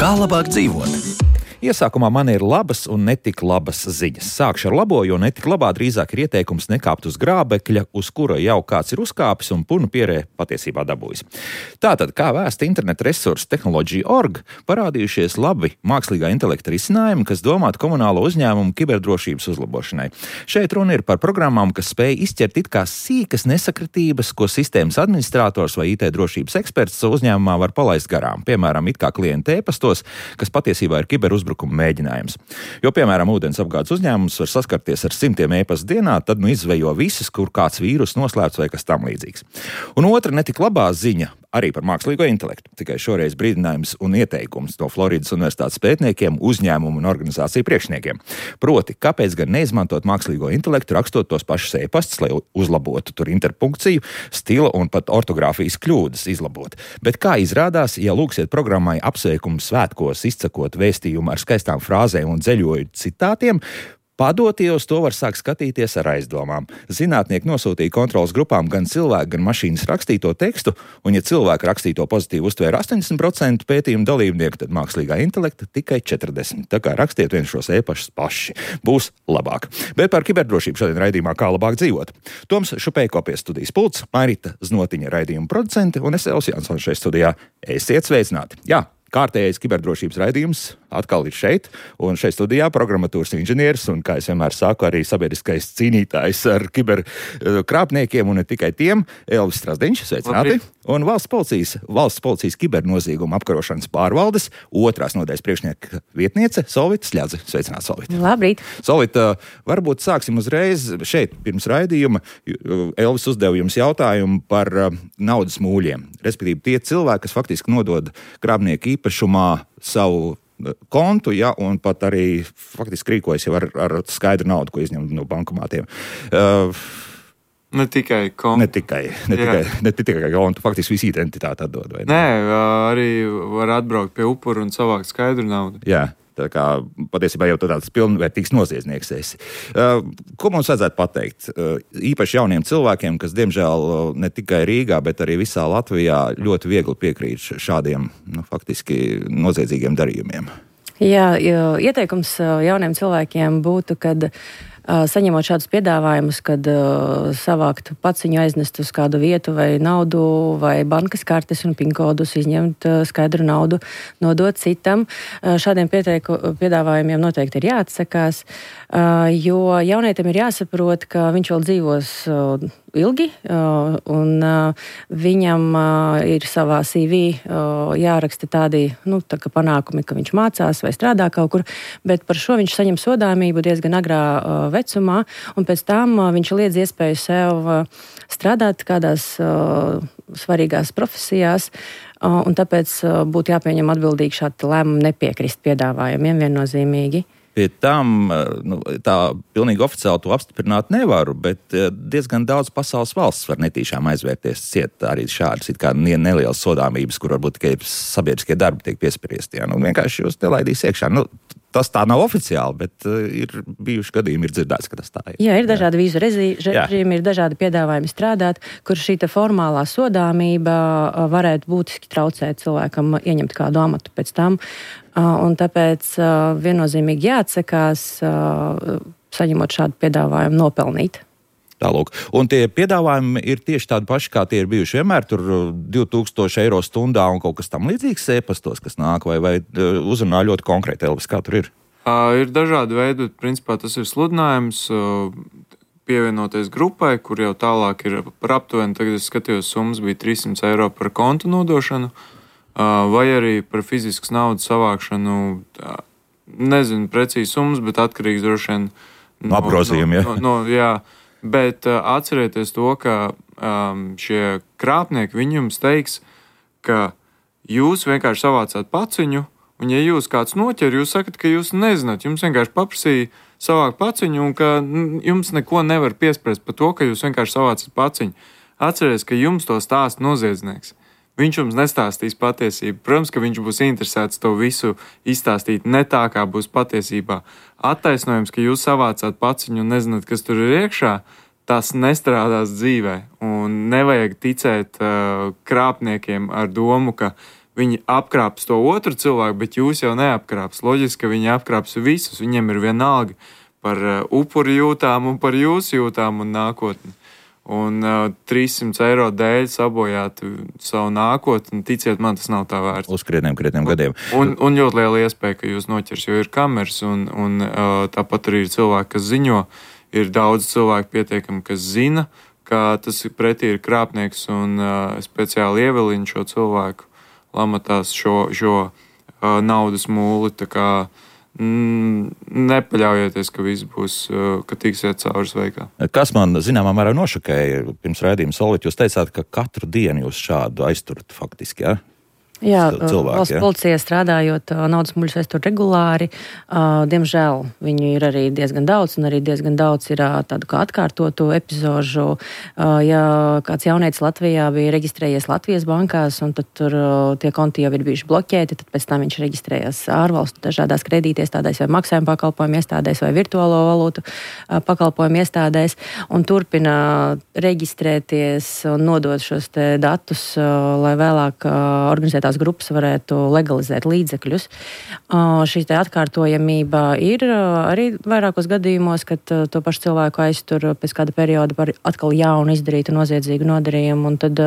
Kā labāk dzīvot? Iesākumā man ir labas un netik labas ziņas. Sākšu ar labo, jo netik labā drīzāk ir ieteikums nekāpt uz grābekļa, uz kura jau kāds ir uzkāpis un punu pierē patiesībā dabūjis. Tātad, kā vēsta interneta resursu Technology.org, parādījušies labi mākslīgā intelekta risinājumi, kas domāti komunālo uzņēmumu kiberdrošības uzlabošanai. Šeit runa ir par programmām, kas spēj izķert it kā sīkas nesakritības, ko sistēmas administrators vai IT drošības eksperts uzņēmumā var palaist garām. Piemēram, it kā klienta e-pastos, kas patiesībā ir kiberuzbrukuma mēģinājums. Jo, piemēram, ūdens apgādes uzņēmums var saskarties ar 100 e-pastu dienā, tad izvejo visas, kur kāds vīrus noslēpts vai kas tam līdzīgs. Un otra netik labā ziņa arī par mākslīgo intelektu. Tikai šoreiz brīdinājums un ieteikums no Floridas Universitātes pētniekiem, uzņēmumu un organizāciju priekšniekiem. Proti, kāpēc gan neizmantot mākslīgo intelektu, rakstot tos pašus e-pastus, lai uzlabotu tur interpunkciju, stila un pat ortogrāfijas kļūdas izlabot. Bet kā izrādās, ja lūksiet programmai apsveikumu svētkos izcakot vēstījumu ar skaistām frāzēm un dzeļoju citātiem, padotie uz to var sākt skatīties ar aizdomām. Zinātnieki nosūtīja kontrolas grupām gan cilvēku, gan mašīnas rakstīto tekstu, un ja cilvēku rakstīto pozitīvi uztvēra 80% pētījumu dalībnieku, tad mākslīgā intelekta tikai 40%. Tā kā rakstiet vien šos e-pašus paši. Būs labāk. Bet par kiberdrošību šodien raidījumā Kā labāk dzīvot. Toms Šupejko pie studijas pults, Mairita Znotiņa raidījuma producente, un es Elvis Jansons šeit studijā. Esiet sveicināti! Jā! Kārtējais kiberdrošības raidījums atkal ir šeit, un šeit studijā programmatūras inženieris, un, kā es vienmēr saku, arī sabiedriskais cīnītājs ar kiberkrāpniekiem, un ne tikai tiem, Elvis Strasdiņš, sveicināti, un valsts policijas kibernozīguma apkarošanas pārvaldes otrās nodaļas priekšnieka vietniece Solvita Sļadze. Sveicināti, Solvita. Labrīt. Solvita, varbūt sāksim uzreiz šeit, pirms raidījuma. Elvis uzdeva jums jautājumu par naudas mūļiem, respektīvi tie cilvēki, kas faktiski nodod krāpnieku īpašumā savu kontu, ja, un pat arī faktiski rīkojas jau ar skaidru naudu, ko izņem no bankomātiem. Ne tikai kontu. Ne tikai kontu, faktiski visu identitāti atdod. Vai ne? Nē, arī var atbraukt pie upura un savākt skaidru naudu. Jā. Tā kā patiesībā jau tāds pilnvērtīgs noziedznieks esi. Ko mums vajadzētu pateikt? Īpaši jauniem cilvēkiem, kas diemžēl ne tikai Rīgā, bet arī visā Latvijā ļoti viegli piekrīt šādiem faktiski noziedzīgiem darījumiem. Jā, ieteikums jauniem cilvēkiem būtu, kad saņemot šādus piedāvājumus, kad savākt paciņu, aiznest uz kādu vietu vai naudu vai bankas kartes un pinkodus, izņemt skaidru naudu, nodot citam. Šādiem piedāvājumiem noteikti ir jāatsakās, jo jaunietim ir jāsaprot, ka viņš vēl dzīvos ilgi, un viņam ir savā CV jāraksta tādi tā kā panākumi, ka viņš mācās vai strādā kaut kur, bet par šo viņš saņem sodāmību diezgan agrā vecumā, un pēc tam viņš liedz iespēju sev strādāt kādās svarīgās profesijās, un tāpēc būtu jāpieņem atbildīgi šādi lēmumi nepiekrist piedāvājumiem viennozīmīgi. Pie tam tā pilnīgi oficiāli to apstiprināt nevaru, bet diezgan daudz pasaules valsts var netīšām aizvērties ciet arī šādas it kā nelielas sodāmības, kur varbūt tikai sabiedriskie darbi tiek piespriesti. Vienkārši jūs nelaidīs iekšā. Tas tā nav oficiāli, bet ir bijuši gadījumi, ir dzirdēts, ka tas tā ir. Jā, ir dažādi vīzu režīmi, ir dažādi piedāvājumi strādāt, kur šī formālā sodāmība varētu būtiski traucēt cilvēkam ieņemt kādu amatu pēc tam. Un tāpēc viennozīmīgi jāatsakās, saņemot šādu piedāvājumu, nopelnīt. Tālūk. Un tie piedāvājumi ir tieši tādi paši, kā tie ir bijuši vienmēr, tur 2000 eiro stundā un kaut kas tam līdzīgs e-pastos, kas nāk, vai uzrunā ļoti konkrēti, Elvis, kā tur ir? Ir dažādi veidi, bet principā tas ir sludinājums, pievienoties grupai, kur jau tālāk ir par aptuveni, tagad es skatījos, summas bija 300 eiro par kontu nodošanu, vai arī par fiziskas naudas savākšanu, nezinu precīzi summas, bet atkarīgs droši vien no apgrozījuma, jā. Bet atcerieties to, ka šie krāpnieki, viņi jums teiks, ka jūs vienkārši savācāt paciņu, un ja jūs kāds noķer, jūs sakat, ka jūs nezināt, jums vienkārši paprasīja savākt paciņu, un ka jums neko nevar piespriest par to, ka jūs vienkārši savācat paciņu. Atcerieties, ka jums to stāsta noziedznieks. Viņš jums nestāstīs patiesību. Protams, ka viņš būs interesēts to visu izstāstīt ne tā, kā būs patiesībā. Attaisnojums, ka jūs savācāt paciņu un nezināt, kas tur ir iekšā, tas nestrādās dzīvē. Un nevajag ticēt krāpniekiem ar domu, ka viņi apkrāps to otru cilvēku, bet jūs jau neapkrāps. Loģiski, ka viņi apkrāps visus. Viņiem ir vienalga par upuru jūtām un par jūsu jūtām un nākotni. Un 300 eiro dēļ sabojāt savu nākotni, ticiet man, tas nav tā vērts. Uz krietniem gadiem. Un ļoti liela iespēja, ka jūs noķers, jo ir kameras, un tāpat arī ir cilvēki, kas ziņo. Ir daudz cilvēku pietiekami, kas zina, ka tas pretī ir krāpnieks, un speciāli ievelina šo cilvēku lamatās šo naudas mūli. Tā kā nepaļaujieties, ka viss būs, ka tiksiet cauri sveikā. Kas man zināmā mērā nošokēja pirms raidījuma, Solvit, jūs teicāt, ka katru dienu jūs šādu aizturat faktiski, ja? Jā, valsts policijā strādājot, naudas muļus aiztur regulāri. Diemžēl viņu ir arī diezgan daudz, un arī diezgan daudz ir tādu kā atkārtotu epizožu. Ja kāds jaunietis Latvijā bija reģistrējies Latvijas bankās, un tad tur tie konti jau ir bijuši bloķēti, tad pēc tam viņš reģistrējās ārvalstu dažādās kredītiestādēs vai maksājuma pakalpojumu iestādēs vai virtuālo valūtu pakalpojumu iestādēs, un turpina reģistrēties un nodot šos te datus, lai vēlāk organizēt grupas varētu legalizēt līdzekļus. Šī te atkārtojamība ir arī vairākos gadījumos, kad to pašu cilvēku aiztur pēc kāda perioda par atkal jaunu izdarītu noziedzīgu nodarījumu, un tad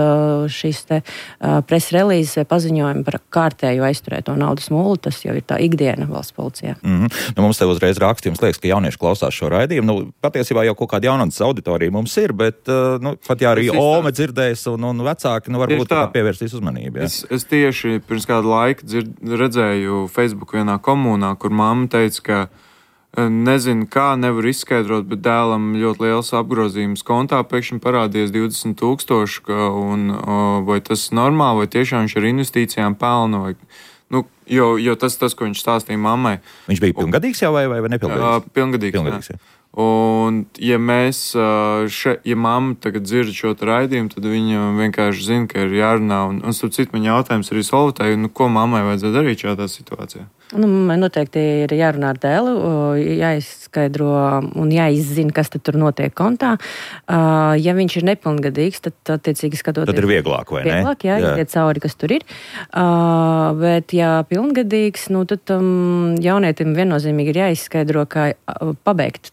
šīs te press relīzes vai paziņojumi par kārtēju aizturēto naudas mūli, tas jau ir tā ikdiena valsts policijā. Mums te uzreiz rakstījums liekas, ka jaunieši klausās šo raidījumu. Patiesībā jau kaut kāda jaunatnes auditorija mums ir, bet pat ja arī Ome dzirdēs un vecāki, varbūt tā pievērsīs uzmanību. Ja? Es tieši pirms kāda laika redzēju Facebook vienā komunā, kur mamma teica, ka nezinu kā, nevar izskaidrot, bet dēlam ļoti liels apgrozījums kontā pēkšņi parādījies 20,000, un vai tas normāli, vai tiešām viņš ar investīcijām pelna, vai, jo tas, ko viņš stāstīja mammai. Viņš bija pilngadīgs jau vai nepilngadīgs? Pilngadīgs, jā. Un, ja mamma tagad dzird šo raidījumu, tad viņa vienkārši zina, ka ir jārunā. Un starp citu, man jautājums arī Solvitai, ko mammai vajadzētu darīt šādā situācijā? Man noteikti ir jārunā ar dēlu, jāizskaidro un jāizzina, kas tad tur notiek kontā. Ja viņš ir nepilngadīgs, tad attiecīgi skatoties. Tad ir vieglāk, vai ne? Vieglāk, jā. Iet cauri, kas tur ir. Bet, ja pilngadīgs, tad jaunietim viennozīmīgi ir jāizskaidro, kā pabeigt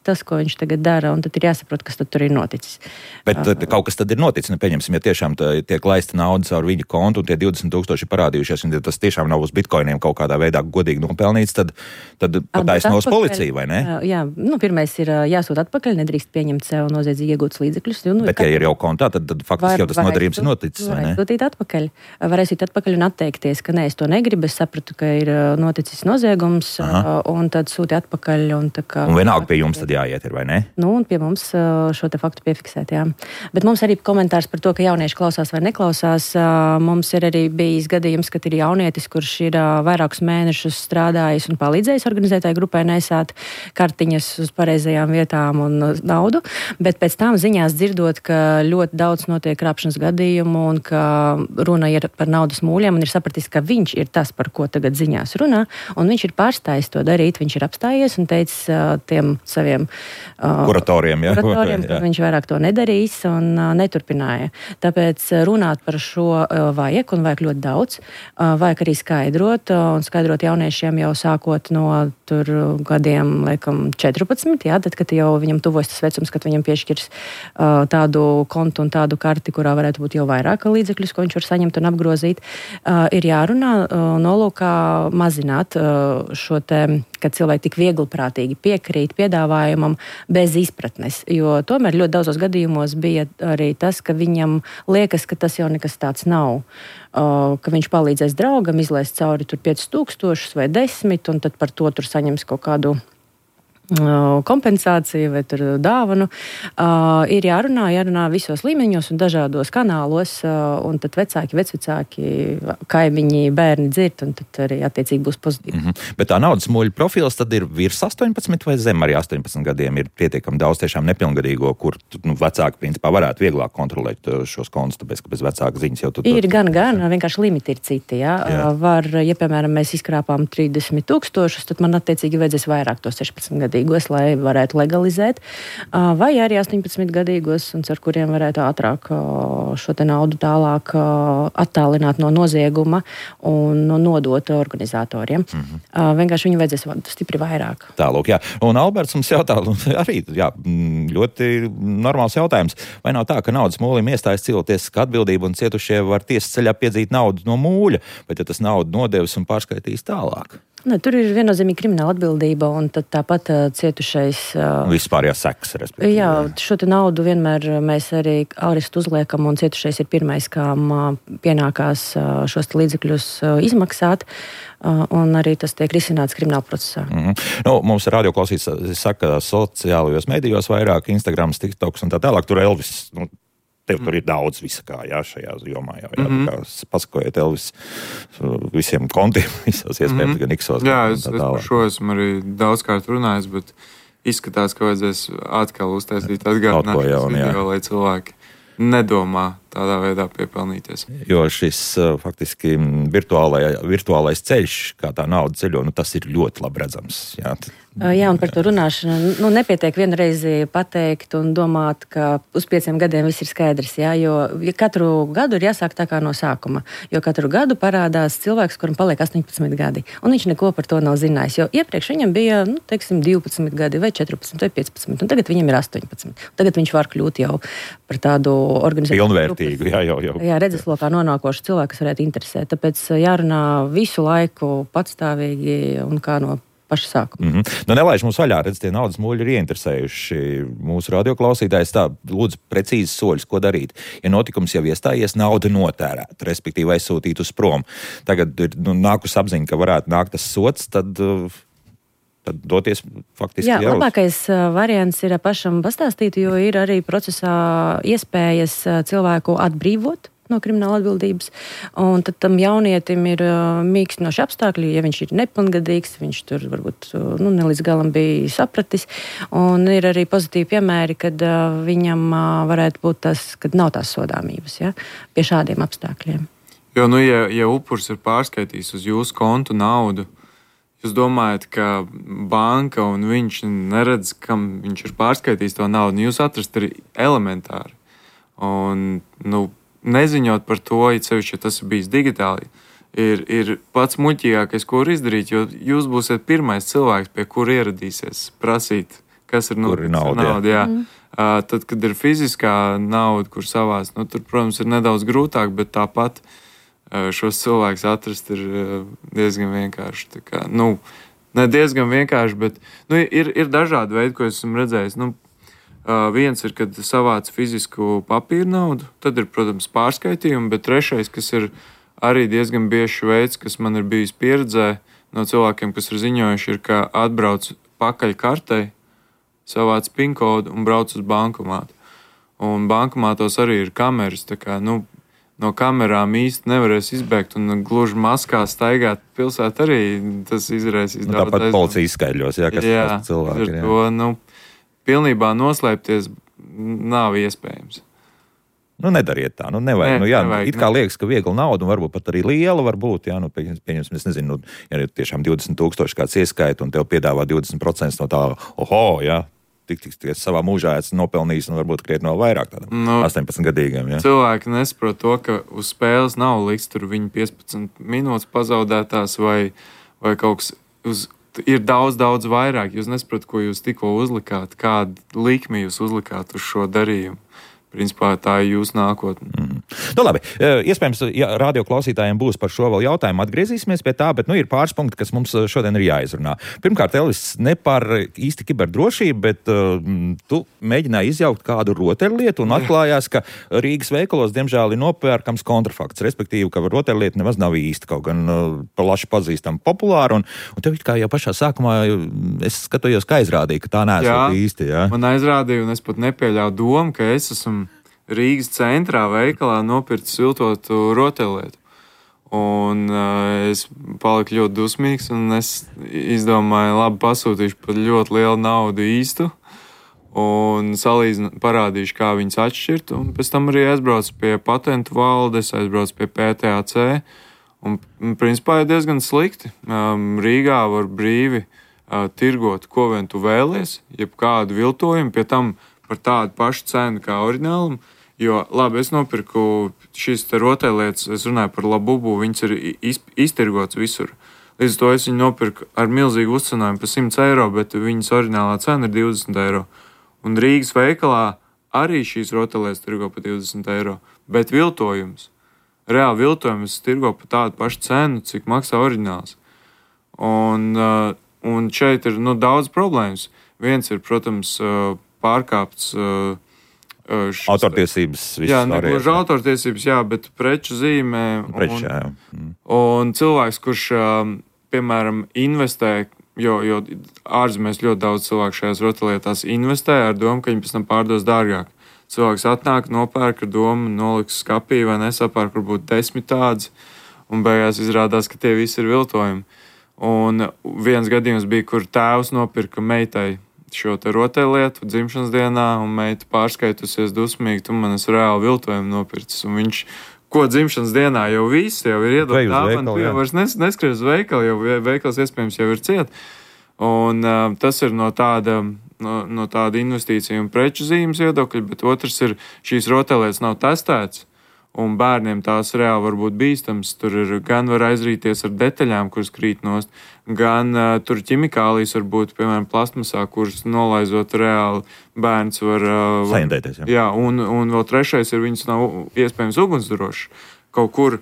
tas, ko viņš tagad dara, un tad ir jāsaprot, kas tad tur ir noticis. Bet kaut kas tad ir noticis, pieņemsim, ja tiešām tiek laista nauda caur viņa kontu, un tie 20,000 parādījušies, un tas tiešām nav uz bitkoiniem kaut kādā veidā godīgi nopelnīts, tad pataisnos policija, vai ne? Jā, pirmais ir jāsūt atpakaļ, nedrīkst pieņemt sev noziedzīgi iegūtus līdzekļus. Bet, ja ir jau kontā, tad faktiski jau tas nodarījums ir noticis, vai ne? Varēs sūt atpakaļ un atteikties, ka nē, es to negribu, es sapratu, ka ir noticis noziegums, un tad sūti atpakaļ. Un vienalga pie jums tad jāiet ir, vai ne? Un pie mums šo te faktu piefiksēt, jā. Bet mums arī komentārs par to, ka jaunieši klausās vai neklausās. Mums ir arī bijis gadījums, kad ir jaunietis, kurš ir vairākus mēnešus strādājis un palīdzējis organizētāju grupai nesāt kartiņas uz pareizajām vietām un naudu, bet pēc tam ziņās dzirdot, ka ļoti daudz notiek krāpšanas gadījumu un ka runa ir par naudas mūļiem, un ir sapratis, ka viņš ir tas, par ko tagad ziņās runā, un viņš ir pārstājis to darīt, viņš ir apstājies un teicis tiem saviem kuratoriem, ka viņš vairāk to nedarīs un neturpināja. Tāpēc runāt par šo vajag, un vajag ļoti daudz, vajag arī skaidrot jauniešiem jau sākot no tur gadiem, laikam, 14, jā, tad, kad jau viņam tuvojas tas vecums, kad viņam piešķirs tādu kontu un tādu karti, kurā varētu būt jau vairāk līdzekļus, ko viņš var saņemt un apgrozīt, ir jārunā nolūkā mazināt šo te, kad cilvēki tik viegliprātīgi piekrīt piedāvājumam bez izpratnes, jo tomēr ļoti daudzos gadījumos bija arī tas, ka viņam liekas, ka tas jau nekas tāds nav, ka viņš palīdzēs draugam izlaist cauri tur 5,000 vai 10, un tad par to tur saņems kaut kādu kompensāciju vai tur dāvanu. Ir jārunā visos līmeņos un dažādos kanālos, un tad vecvecāki, kaimiņi, bērni dzird, un tad arī attiecīgi būs pozitīvi. Bet tā naudas muļu profils tad ir virs 18 vai zem arī 18 gadiem ir pietiekami daudz tiešām nepilngadīgo, kur vecāki principā varētu vieglāk kontrolēt šos kontus, tāpēc, ka bez vecāka ziņas jau tur. Ir gan, vienkārši limiti ir citi, jā. Var, ja piemēram mēs izkrāpām 30,000, tad man attiecīgi vajadzēs vairāk to 16 gadu gadīgos, lai varētu legalizēt, vai arī 18 gadīgos, un ar kuriem varētu ātrāk šo te naudu tālāk attālināt no nozieguma un nodot organizatoriem. Vienkārši viņu vajadzēs stipri vairāk. Tālūk, jā. Un Alberts mums jautā, arī ļoti normāls jautājums. Vai nav tā, ka naudas mūlim iestājas cilvēktiesiska atbildība un cietušie var tiesas ceļā piedzīt naudu no mūļa, bet ja tas naudu nodevis un pārskaitīs tālāk? Ne, tur ir viennozīmīgi krimināla atbildība, un tad tāpat cietušais... Vispārējās sekas, respektīvi. Jā, šo te naudu vienmēr mēs arī arestu uzliekam, un cietušais ir pirmais, kam pienākās šos līdzekļus izmaksāt, un arī tas tiek risināts krimināla procesā. Mums radioklausītājs saka, sociālajos medijos vairāk, Instagrams, TikToks un tā tālāk, tur Elvis... Tev tur ir daudz visakā, šajā jomā. Pasakojiet Elvis visiem kontiem, visās iespējams, gan Iksos. Jā, es par šo esmu arī daudzkārt runājis, bet izskatās, ka vajadzēs atkal uztaisīt atgādināšanas video, lai cilvēki nedomā tādā veidā piepelnīties. Jo šis faktiski virtuālais ceļš, kā tā nauda ceļo, tas ir ļoti labi redzams. Jā, un par to runāšanu nepietiek vienreizi pateikt un domāt, ka uz 5 gadiem viss ir skaidrs, jo katru gadu ir jāsāk tā kā no sākuma, jo katru gadu parādās cilvēks, kuram paliek 18 gadi, un viņš neko par to nav zinājis, jo iepriekš viņam bija, 12 gadi vai 14 vai 15, un tagad viņam ir 18. Tagad viņš var kļūt jau par tādu organizāciju. Pilnvērtīgu, jau. Jā, redzeslokā nonākošu cilvēku, kas varētu interesēt, tāpēc jārunā visu laiku patstāvīgi un kā no paša sākuma. Nelaiž mums vaļā, redz, tie naudas muļi ir ieinteresējuši mūsu radioklausītājs. Tā, lūdzu, precīzi soļus, ko darīt. Ja notikums jau iestājies, nauda notērēta, respektīvi aizsūtīt uz prom. Tagad ir nākus apziņa, ka varētu nākt tas sots, tad doties faktiski jau. Jā, labākais variants ir pašam pastāstīt, jo ir arī procesā iespējas cilvēku atbrīvot no krimināla atbildības, un tad tam jaunietim ir mīkstinoši apstākļi, ja viņš ir nepilngadīgs, viņš tur varbūt ne līdz galam bija sapratis, un ir arī pozitīvi piemēri, kad viņam varētu būt tas, kad nav tās sodāmības, pie šādiem apstākļiem. Jo, ja upurs ir pārskaitījis uz jūsu kontu naudu, jūs domājat, ka banka un viņš neredz, kam viņš ir pārskaitījis to naudu, jūs atrast ir elementāri. Un, neziņot par to, ja tas ir bijis digitāli, ir pats muļķīgākais, ko var izdarīt, jo jūs būsiet pirmais cilvēks, pie kura ieradīsies prasīt, kas ir nauda. Jā. Tad, kad ir fiziskā nauda, kur savās, tur, protams, ir nedaudz grūtāk, bet tāpat šos cilvēkus atrast ir diezgan vienkārši. Tā kā, ne diezgan vienkārši, bet ir dažādi veidi, ko esmu redzējis. Viens ir, kad savāc fizisku papīru naudu, tad ir, protams, pārskaitījumi, bet trešais, kas ir arī diezgan biežs veids, kas man ir bijis pieredzē no cilvēkiem, kas ir ziņojuši, ir, ka atbrauc pakaļ kartei, savāc PIN kodu un brauc uz bankomātu. Un bankomātos arī ir kameras, tā kā, no kamerām īsti nevarēs izbēgt un gluži maskā staigāt pilsētu arī tas izraisīs daudz. Tāpat policija izskaidļos, kas tas cilvēki ir. To, pilnībā noslēpties nav iespējams. Nedariet tā, nevajag. Nevajag. It kā liekas, ka viegla nauda un varbūt pat arī liela var būt, pieņemsim, es nezinu, ja ir tiešām 20,000 kāds ieskaita un tev piedāvā 20% no tā, tik savā mūžā esmu nopelnījis un varbūt krietni vēl vairāk tādam 18-gadīgam. Cilvēki nesaprot to, ka uz spēles nav liks tur viņu 15 minūtes pazaudētās vai kaut kas ir daudz vairāk. Jūs nesaprotat, ko jūs tikko uzlikāt, kādu likmi jūs uzlikāt uz šo darījumu. Principā tā ir jūsu nākotne. Labi, iespējams, ja radioklausītājiem būs par šo vēl jautājumu, atgriezīsimies pie tā, bet ir pāris punkti, kas mums šodien ir jāizrunā. Pirmkārt, Elvis, ne par īsti kiberdrošību, bet tu mēģināji izjaukt kādu rotaļlietu un atklājās, ka Rīgas veikalos, diemžēl, ir nopērkams kontrafakts, respektīvi, ka rotaļlieta nemaz nav īsti kaut gan plaši pazīstama populāra, un tev it kā jau pašā sākumā es skatījos, ka aizrādīja, ka tā neesot īsti. Jā, man aizrādīja, un es pat nepieļauju domu, ka es esmu Rīgas centrā veikalā nopircis viltotu rotaļlietu. Un es paliku ļoti dusmīgs, un es izdomāju, labi, pasūtīšu par ļoti lielu naudu īstu, un parādīšu, kā viņas atšķirt, un pēc tam arī aizbraucu pie patentu valdes, aizbraucu pie PTAC, un principā ir diezgan slikti. Rīgā var brīvi tirgot, ko vien tu vēlies, jeb kādu viltojumu, pie tam par tādu pašu cenu kā oriģinālam. Jo, labi, es nopirku šīs te rotaļlietas, es runāju par Labubu, viņas ir iztirgots visur. Līdz to es viņu nopirku ar milzīgu uzcenojumu par 100 eiro, bet viņas oriģinālā cena ir 20 eiro. Un Rīgas veikalā arī šīs rotaļlietas tirgo par 20 eiro, bet viltojums. Reāli viltojums tirgo par tādu pašu cenu, cik maksā oriģināls. Un šeit ir daudz problēmas. Viens ir, protams, pārkāpts autortiesības. Jā, negluži autortiesības, jā, bet preču zīmē. Un cilvēks, kurš, piemēram, investē, jo ārzemēs ļoti daudz cilvēku šajās rotaļlietās investē ar domu, ka viņi pēc tam pārdos dārgāk. Cilvēks atnāk, nopērk ar domu, noliks skapī vai nesapērk varbūt 10 tādas, un beigās izrādās, ka tie visi ir viltojumi. Un viens gadījums bija, kur tēvs nopirka meitai šo te rotaļlietu dzimšanas dienā, un meita pārskaitusies dusmīgi, tu man esi reāli viltojumu nopircis. Un viņš, ko dzimšanas dienā jau viss, jau ir iedot dāvanu, tu jau vairs neskries uz veikalu, jau veikals iespējams jau ir ciet. Un tas ir no tāda investīcija un preču zīmes viedokļa, bet otrs ir, šīs rotaļlietas nav testētas, un bērniem tās reāli var būt bīstams. Tur ir gan var aizrīties ar detaļām, kuras krīt nost, gan tur ķimikālijas var būt, piemēram, plastmasā, kuras nolaizot reāli bērns var saindēties. Jā, un vēl trešais ir, viņas nav iespējams ugunsdrošas. Kaut kur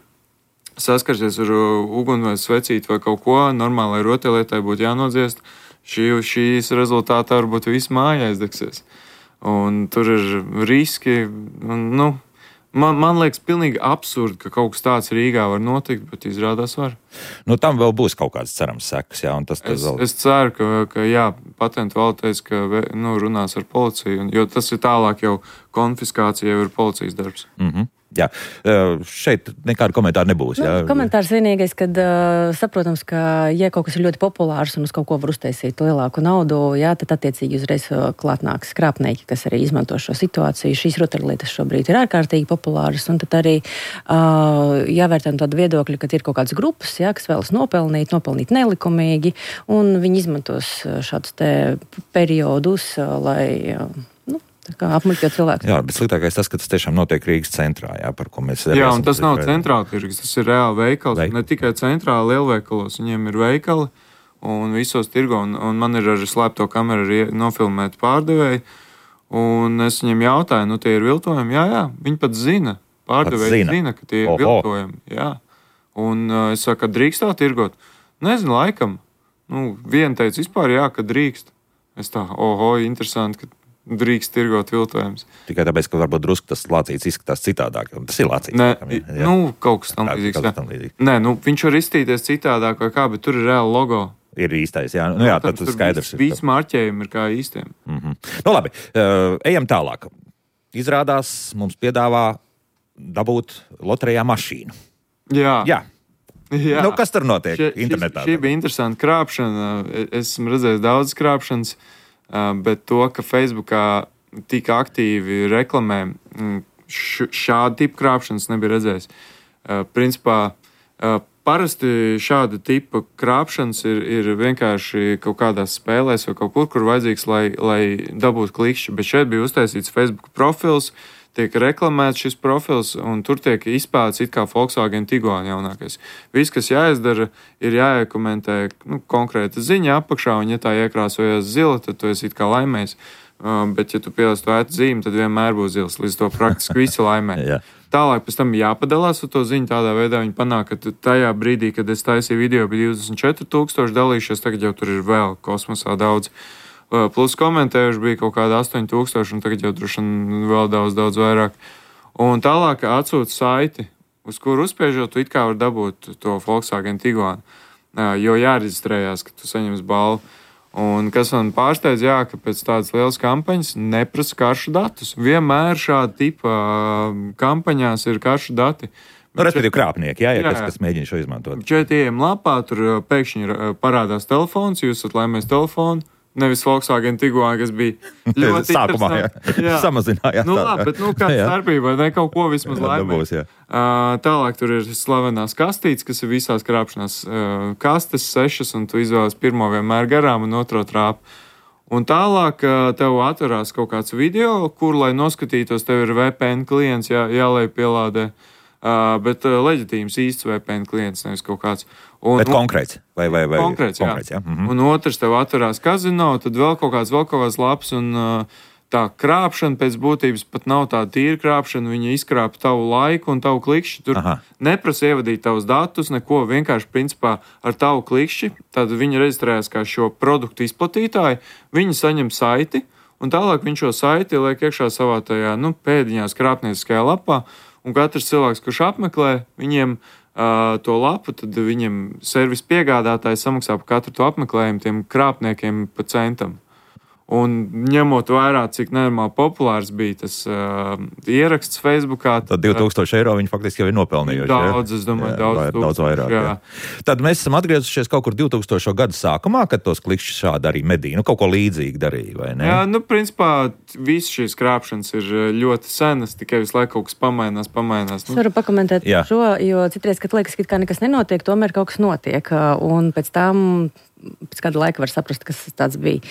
saskarsies ar uguni vai svecīti vai kaut ko, normālai rotaļlietai būtu jānodziest. Šīs rezultātā varbūt viss māja aizdegsies. Un tur ir riski. Man liekas pilnīgi absurdi, ka kaut kas tāds Rīgā var notikt, bet izrādās var. Tam vēl būs kaut kāds cerams sekas, jā, un tas vēl... Es ceru, ka jā, patentu valde teica, ka runās ar policiju, jo tas ir tālāk jau konfiskācija, jau ir policijas darbs. Jā, šeit nekāda komentāra nebūs. Jā. Komentārs vienīgais, kad saprotams, ka ja kaut kas ir ļoti populārs un uz kaut ko var uztaisīt lielāku naudu, jā, tad attiecīgi uzreiz klāt nāks krāpnieki, kas arī izmanto šo situāciju. Šīs rotaļlietas šobrīd ir ārkārtīgi populāras, un tad arī jāvērtē tādu viedokļu, ka ir kaut kādas grupas, jā, kas vēlas nopelnīt nelikumīgi, un viņi izmantos šādus te periodus, lai... kā apmuļķot cilvēku. Jā, bet sliktākais tas, ka tas tiešām notiek Rīgas centrā, jā, par ko mēs... Jā, un tas nav centrāla tirgus, tas ir reāli veikals. Ne tikai centrāli lielveikalos, viņiem ir veikali un visos tirgo, un man ir ar slēpto kameru nofilmēt pārdevēju, un es viņiem jautāju, tie ir viltojumi? Jā, viņi pat zina. Pārdevēji zina, ka tie ir viltojumi. Jā. Un es saku, ka drīkst tā tirgot? Nezinu, laikam. Viena teica vispār jā, ka drīkst. Es tā, interesanti, ka drīkst tirgot viltojums. Tikai tāpēc, ka varbūt drusku tas lācīts izskatās citādāk. Tas ir lācīts. Nē, kaut kas tam līdzīgs. Nē, viņš var izstīties citādāk vai kā, bet tur ir reāli logo. Ir īstais, jā. Jā, tad tas skaidrs. Visi marķējumi ir kā īstiem. Labi, ejam tālāk. Izrādās, mums piedāvā dabūt loterijā mašīnu. Jā. Kas tur notiek internetā? Šī bija interesanta krāpšana. Esmu redzējis daudz krāpšanas. Bet to, ka Facebookā tik aktīvi reklamē, šādu tipu krāpšanas nebija redzējis. Principā, parasti šāda tipa krāpšanas ir vienkārši kaut kādās spēlēs vai kaut kur vajadzīgs, lai dabūtu klikšķi. Bet šeit bija uztaisīts Facebook profils, tiek reklamēts šis profils, un tur tiek izpētīts it kā Volkswagen Tiguan jaunākais. Viss, kas jāizdara, ir jāiekomentē konkrēta ziņa apakšā, un ja tā iekrāsojas zila, tad tu esi it kā laimējis. Bet, ja tu pieliec to ētu zīmi, tad vienmēr būs zils, līdz to praktiski visi laimē. Tālāk pēc tam jāpadalās ar to ziņu, tādā veidā viņi panāk, ka tajā brīdī, kad es taisīju video, bija 24,000 dalījušies, tagad jau tur ir vēl kosmosā daudz. Plus komentējuši bija kaut kāda 8,000, un tagad jau droši vien vēl daudz vairāk. Un tālāk atsūta saiti, uz kuru uzspiežot, tu it kā var dabūt to Volkswagen Tiguan, jo jāreģistrējās, ka tu saņems balvu. Un kas man pārsteidz, ka pēc tādas lielas kampaņas neprasa karšu datus. Vienmēr šāda tipa kampaņās ir karšu dati. Respektīvi krāpnieki, kas mēģina šo izmantot. Šeit ejam lapā, tur pēkšņi parādās telefons, jūs esat laimējis telefonu. Nevis Volkswagen Tiguan, kas bija ļoti sākumā, samazinājās. Labi, bet kāda starpība, ne kaut ko vismaz laimē. Tālāk tur ir slavenās kastītes, kas ir visās krāpšanās kastes 6, un tu izvēlies pirmo vienmēr garām un otro trāpu. Un tālāk tev atverās kaut kāds video, kur, lai noskatītos, tev ir VPN klients jāliek pielādē. Bet leģitīms īsts VPN klients, nevis kaut kāds. Bet konkrēts? Vai konkrēts, jā. Un otrs tev atverās kazino, tad vēl kaut kāds labs, un tā krāpšana pēc būtības pat nav tā tīra krāpšana, viņa izkrāpa tavu laiku un tavu klikšķi. Tur neprasa ievadīt tavus datus, neko, vienkārši principā ar tavu klikšķi. Tad viņi reģistrējas kā šo produktu izplatītāji, viņi saņem saiti, un tālāk viņš šo saiti liek iekšā savā tajā, pēdiņās krāpnieciskajā lapā. Un katrs cilvēks, kurš apmeklē viņiem to lapu, tad viņiem servis piegādātājs samaksā par katru to apmeklējumu tiem krāpniekiem pa centam. Un ņemot vērā, cik nenormāli populārs bija tas ieraksts Facebookā. Tad 2000 eiro viņi faktiski jau ir nopelnījuši. Daudz, es domāju, daudz vairāk. Jā. Tad mēs esam atgriezušies kaut kur 2000. gadu sākumā, kad tos klikšķus šādi arī medīja. Kaut ko līdzīgi darīja, vai ne? Jā, principā visas šīs krāpšanas ir ļoti senas, tikai visu laiku kaut kas pamainās. Es varu pakomentēt šo, jo citreiz, kad liekas, ka nekas nenotiek, tomēr kaut kas notiek. Un pēc kāda laika var saprast, kas tāds bija.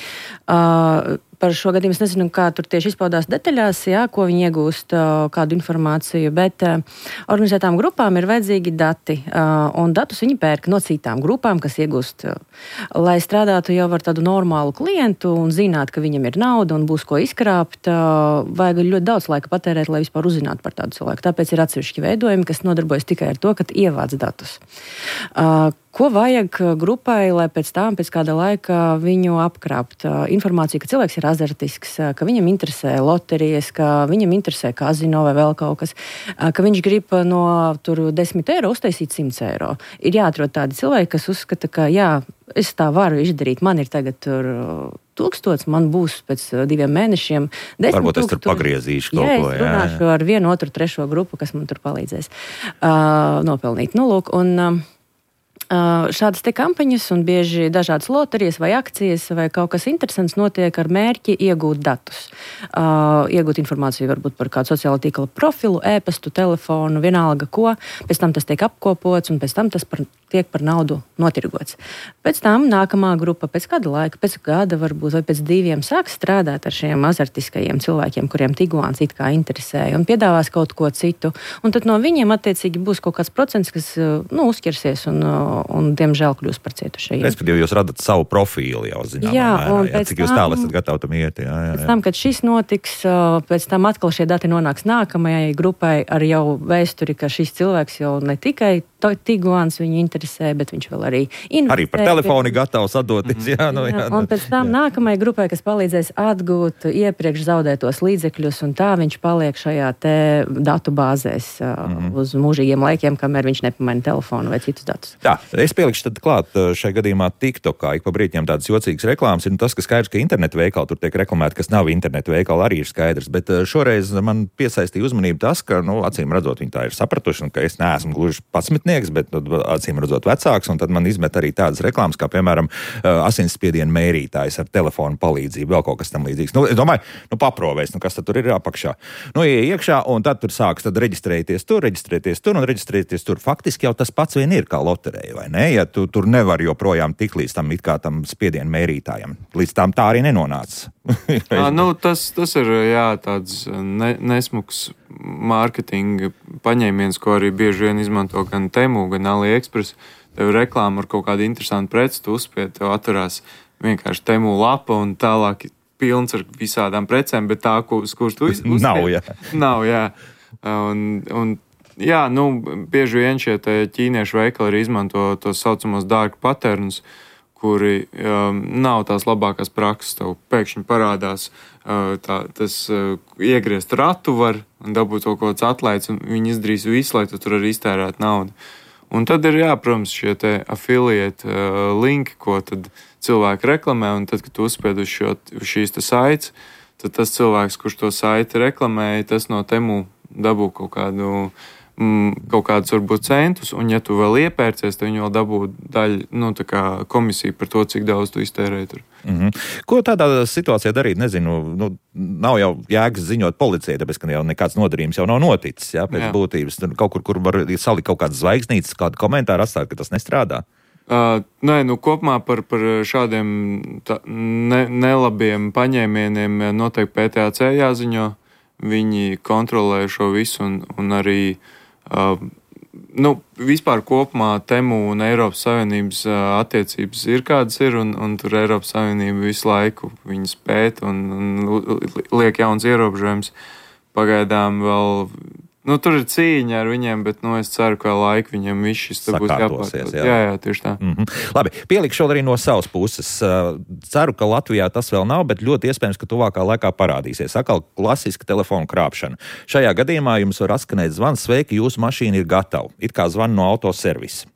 Par šo gadījumu es nezinu, kā tur tieši izpaudās detaļās, ko viņi iegūst, kādu informāciju, bet organizētām grupām ir vajadzīgi dati, un datus viņi pērk no citām grupām, kas iegūst, lai strādātu jau ar tādu normālu klientu un zinātu, ka viņam ir nauda un būs ko izkrāpt, vajag ļoti daudz laika patērēt, lai vispār uzzinātu par tādu cilvēku. Tāpēc ir atsevišķi veidojumi, kas nodarbojas tikai ar to, ka ievāc datus. Ko vajag grupai, lai pēc kāda laika viņu apkrāpt? Informāciju, ka cilvēks ir azartisks, ka viņam interesē loterijas, ka viņam interesē kazino vai vēl kaut kas, ka viņš grib no 10 eiro uztaisīt 100 eiro. Ir jāatrod tādi cilvēki, kas uzskata, ka es tā varu izdarīt, man ir tagad 1000, man būs pēc 2 mēnešiem 10 000. Varbūt es tur pagriezīšu kaut ko. Es runāšu ar 1, 2, 3 grupu, kas man tur palīdzēs nopelnīt. Šādas te kampaņas un bieži dažādas loterijas vai akcijas vai kaut kas interesants notiek ar mērķi iegūt datus. Iegūt informāciju varbūt par kādu sociālo tīkla profilu, e-pastu, telefonu, vienalga ko. Pēc tam tas tiek apkopots un pēc tam tas tiek par naudu notirgots. Pēc tam nākamā grupa pēc kāda laika, pēc gada varbūt vai pēc 2 sāks strādāt ar šiem azartiskajiem cilvēkiem, kuriem Tiguans it kā interesēja un piedāvās kaut ko citu. Un tad no viņiem attiecīgi būs kaut kāds procents, kas uzķersies un diemžēl kļūst par cietušajiem. Respektīvi, jūs radat savu profilu jau zināmā mērā, cik jūs tālu esat gatavi tam iet. Pēc tam, kad šis notiks, pēc tam atkal šie dati nonāks nākamajai grupai ar jau vēsturi, ka šis cilvēks jau ne tikai Tiguans viņu interesē, bet viņš vēl arī investē. Arī par telefoni gatavs atdoties. Un pēc tam nākamajai grupai, kas palīdzēs atgūt iepriekš zaudētos līdzekļus, un tā viņš paliek šajā te datu bāzēs uz mūžīgiem laikiem, kamēr viņš nepamaina telefonu vai citus datus. Jā, es pielikšu tad klāt šajā gadījumā TikTokā. Ik pa brīķiem tādas jocīgas reklāmas ir tas, ka skaidrs, ka internetu veikali tur tiek reklamēti, kas nav internetu veikali, arī ir skaidrs. Bet šoreiz man piesaistīja uzmanību tas, ka, acīm redzot, viņi tā ir sapratuši, un ka es neesmu gluži 11, bet acīm redzot vecāks, un tad man izmet arī tādas reklāmas, kā piemēram asinsspiediena mērītājs ar telefonu palīdzību, vēl kaut kas tam līdzīgs. Es domāju, paprovēs, kas tad tur ir apakšā. Iekšā, un tad tur sāks reģistrēties tur. Faktiski jau tas pats vien ir kā loterija, vai ne? Ja tu tur nevar joprojām tik līdz tam it kā tam spiediena mērītājam. Līdz tam tā arī nenonāca. Tas ir tāds nesmuks mārketinga paņēmiens, ko arī bieži vien izmanto gan Temu, gan AliExpress. Tev ir reklāma ar kaut kādu interesantu preci, tu uzspied, tev atverās vienkārši Temu lapa un tālāk pilns ar visādām precēm, bet tā, uz kuras tu uzspied. Nav, jā. Bieži vien šie ķīniešu veikali arī izmanto tos saucamos dark patterns, kuri nav tās labākās prakses. Tev pēkšņi parādās tas iegriezt ratu var un dabūt kaut kāds atlaids, un viņi izdarīs visu, lai tu tur arī iztērētu naudu. Un tad ir, protams, šie te affiliate linki, ko tad cilvēki reklamē, un tad, kad tu uzspied uz šīs te saites, tad tas cilvēks, kurš to saiti reklamēja, tas no Temu dabū kaut kādu kaut kādus varbūt centus, un ja tu vēl iepērcies, tad viņi vēl dabū daļu, tā kā komisiju par to, cik daudz tu iztērēji tur. Ko tādā situācijā darīt? Nezinu, nav jau jēgas ziņot policijai, tāpēc, ka jau nekāds nodarījums jau nav noticis, pēc būtības. Kaut kur var salikt kaut kādas zvaigznītes, kādu komentāru atstāt, ka tas nestrādā. Kopumā par šādiem nelabiem paņēmieniem noteikti PTAC jāziņo. Viņi kontrolē šo visu un arī vispār kopumā Temu un Eiropas Savienības attiecības ir kādas ir, un tur Eiropas Savienība visu laiku viņas pēt un liek jauns ierobežojums. Pagaidām vēl, tur ir cīņa ar viņiem, bet, es ceru, ka laika viņiem viss šis te būs jāpārtot. Jā, tieši tā. Labi, pielikšu arī no savas puses. Ceru, ka Latvijā tas vēl nav, bet ļoti iespējams, ka tuvākā laikā parādīsies. Atkal klasiska telefona krāpšana. Šajā gadījumā jums var atskanēt zvans: sveiki, jūsu mašīna ir gatava. It kā zvan no autoservisa.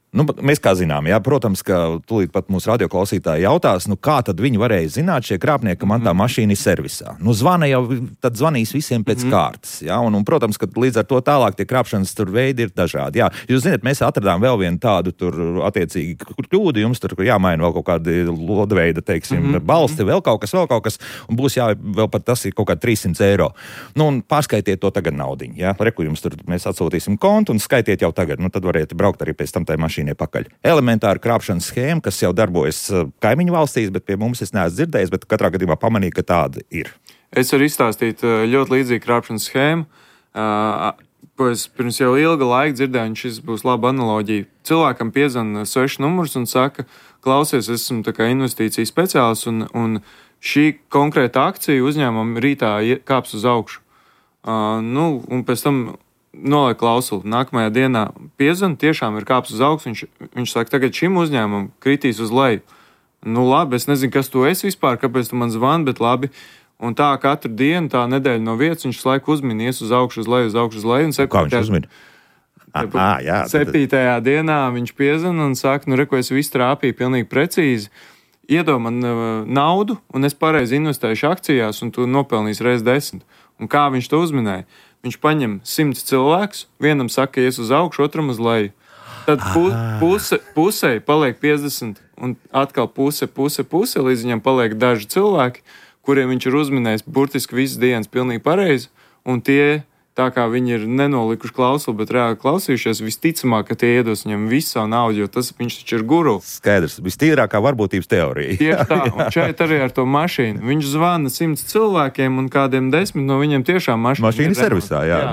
Mēs kā zinām, protams, ka tūlīt pat mūsu radioklausītāji jautās, kā tad viņi varēja zināt šie krāpnieki, ka man tā mašīna ir servisā. Zvana jau, tad zvanīs visiem pēc kārtas, un, protams, ka līdz ar to tālāk tie krāpšanas tur veidi ir dažādi. Jūs zināt, mēs atradām vēl vienu tādu tur attiecīgi kļūdu, jums tur jāmaina vēl kaut kādi lodveida, teiksim, balsti, vēl kaut kas, un būs vēl pat tas ir kaut kādi 300 eiro. Un pārskaitiet to tagad naudiņu, Reku jums tur mēs atsūtīsim kontu un skaitiet jau tagad, tad variet braukt arī pēc tam tai mašīnai pakaļ. Elementāra krāpšanas schēma, kas jau darbojas kaimiņu valstīs, bet pie mums es neesmu dzirdējis, bet katrā gadījumā pamanīju, ka tāda ir. Es varu izstāstīt ļoti līdzīgu krāpšanas schēmu, ko es pirms jau ilga laika dzirdēju, un šis būs laba analoģija. Cilvēkam piezvana 6 numurs un saka: klausies, esmu tā kā investīciju speciālists, un šī konkrēta akcija uzņēmuma rītā kāps uz augšu. Un pēc tam noliek klausuli. Nākamajā dienā piezvana, tiešām ir kāps uz augstu. Viņš saka, tagad šim uzņēmumam kritīs uz leju. Labi, es nezinu, kas tu esi vispār, kāpēc tu man zvani, bet labi. Un tā katru dienu, tā nedēļa no vietas, viņš laiku uzminies uz augšu, uz leju. Kā viņš uzmina? 7. dienā viņš piezvana un saka, reko, es visu trāpīju pilnīgi precīzi. Iedod man naudu, un es pareizi investēšu akcijās, un tu nopelnīsi reiz 10. Un kā viņš to uzminēja? Viņš paņem 100 cilvēkus, vienam saka, ies uz augšu, otram uz leju. Tad pusē paliek 50, un atkal puse, līdz viņam paliek daži cilvēki, kuriem viņš ir uzminējis burtiski visas dienas pilnīgi pareizi, un tie, tā kā viņi ir nenolikuši klausuli, bet reāli klausījušies, visticamāk, ka tie iedos viņam visu savu naudu, jo viņš taču ir guru. Skaidrs, vistīrākā varbūtības teorija. Tieši tā, un šeit arī ar to mašīnu. Viņš zvana 100 cilvēkiem, un kādiem 10 no viņiem tiešām mašīna ir servisā, jā.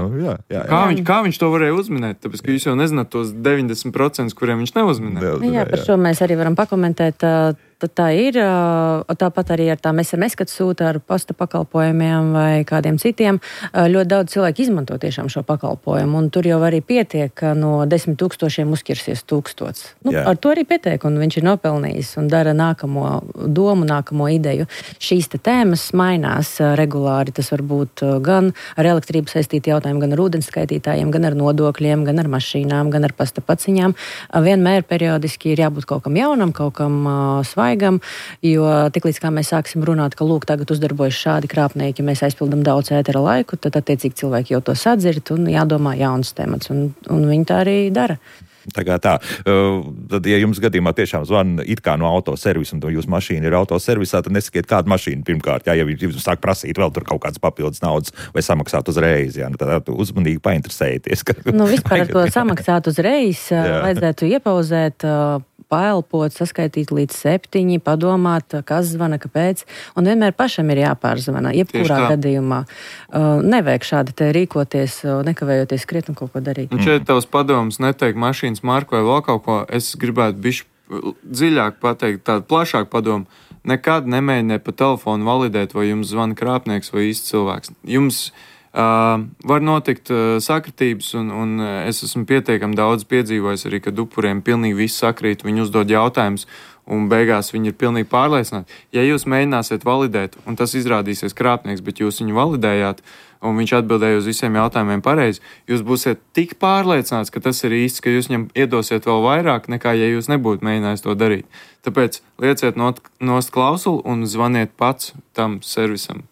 Kā viņš to varēja uzminēt? Tāpēc, ka jūs jau nezināt tos 90%, kuriem viņš neuzminēja. Par šo mēs arī varam pakomentēt. Tad tā ir. Tāpat arī ar tām SMS, kad sūta ar pasta pakalpojumiem vai kādiem citiem. Ļoti daudz cilvēku izmanto tiešām šo pakalpojumu, un tur jau arī pietiek, ka no 10 000 uzķersies 1000. Ar to arī pietiek, un viņš ir nopelnījis un dara nākamo domu, nākamo ideju. Šīs tēmas mainās regulāri. Tas var būt gan ar elektrību saistīti jautājumi, gan ar ūdenskaitītājiem, gan ar nodokļiem, gan ar mašīnām, gan ar pasta paciņām. Vienmēr periodiski ir jābūt kaut kam jaunam, kaut kam svaigam, jo tiklīdz kā mēs sāksim runāt, ka lūk, tagad uzdarbojas šādi krāpnieki, mēs aizpildam daudz ētera laiku, tad attiecīgi cilvēki jau to sadzird un jādomā jauns temats, un viņi tā arī dara. Tā. Tad, ja jums gadījumā tiešām zvana it kā no autoservisa, un jūsu mašīna ir autoservisā, tad nesakiet, kādu mašīnu pirmkārt. Ja jums sāk prasīt vēl tur kaut kādas papildus naudas vai samaksāt uzreiz, tad uzmanīgi painteresējieties. Vispār ar to samaksāt uzreiz vajadzētu iepauzēt, paelpot, saskaitīt līdz 7, padomāt, kas zvana, kāpēc, un vienmēr pašam ir jāpārzvana, jebkurā gadījumā. Nevajag šādi te rīkoties, nekavējoties skriet un kaut ko darīt. Un šeit tavs padoms neteikt mašīnas marku vai vēl kaut ko, es gribētu bišķi dziļāk pateikt, tādu plašāku padomu. Nekad nemēģiniet pa telefonu validēt, vai jums zvana krāpnieks vai īsts cilvēks. Jums var notikt sakritības, un es esmu pietiekami daudz piedzīvojis arī, kad upuriem pilnīgi viss sakrīt, viņi uzdod jautājumus, un beigās viņi ir pilnīgi pārliecināti. Ja jūs mēģināsiet validēt, un tas izrādīsies krāpnieks, bet jūs viņu validējāt, un viņš atbildēja uz visiem jautājumiem pareizi, jūs būsiet tik pārliecināts, ka tas ir īsts, ka jūs viņam iedosiet vēl vairāk, nekā ja jūs nebūtu mēģinājis to darīt. Tāpēc lieciet nost klausuli un zvaniet pats tam servisam.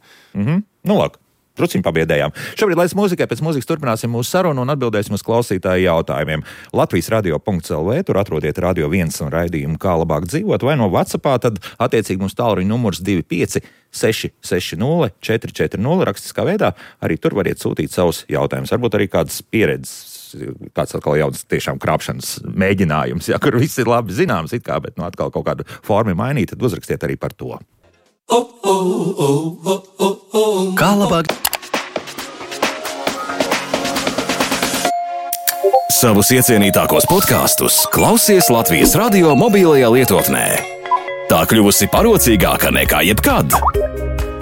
Lāk. Truciņu pabiedējām. Šobrīd laiks mūzikai, pēc mūzikas turpināsim mūsu sarunu un atbildēsim uz klausītāju jautājumiem. Latvijas radio.lv, tur atrodiet Radio 1 un raidījumu Kā labāk dzīvot, vai no WhatsAppā, tad attiecīgi mums tālruņa numurs 25 660 440 rakstiskā veidā. Arī tur variet sūtīt savus jautājumus. Varbūt arī kādas pieredzes, kāds atkal jauns tiešām krāpšanas mēģinājums, ja, kur viss ir labi zināms, it kā, bet atkal kaut kādu formu mainīt, tad uzrakstiet arī par to. Kā labāk? Savus iecienītākos podkastus klausies Latvijas radio mobilajā lietotnē. Tā kļuvusi parocīgāka nekā jebkad.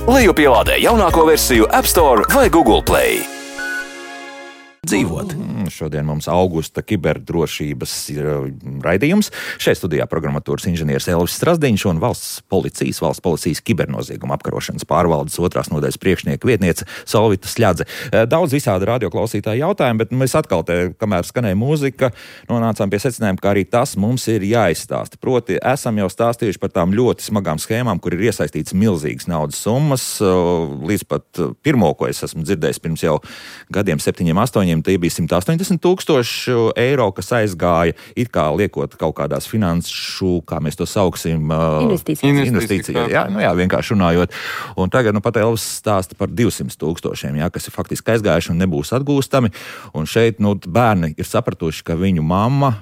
Lejupielādē jaunāko versiju App Store vai Google Play. Dzīvot. Šodien mums augusta kiberdrošības raidījums. Šeit studijā programmatūras inženieris Elvis Strasdiņš un valsts policijas kibernozieguma apkarošanas pārvaldes 2. nodaļas priekšnieka vietniece Solvita Sļadze. Daudz visādi radioklausītāji jautājumu, bet mēs atkal kamēr skanēja mūzika, nonācām pie secinājuma, ka arī tas mums ir jāizstāsta. Proti, esam jau stāstījuši par tām ļoti smagām schēmām, kur ir iesaistīts milzīgas naudas summas. Līdz pat pirmo, ko es esmu dzirdējis pirms jau gadiem 7-8, tie bija 180,000 eiro, kas aizgāja, it kā liekot kaut kādās finanšu, kā mēs to sauksim, investīcijas. Jā, vienkārši runājot. Un tagad pat Elvis stāsta par 200,000, kas ir faktiski aizgājuši un nebūs atgūstami. Un šeit bērni ir sapratuši, ka viņu mamma,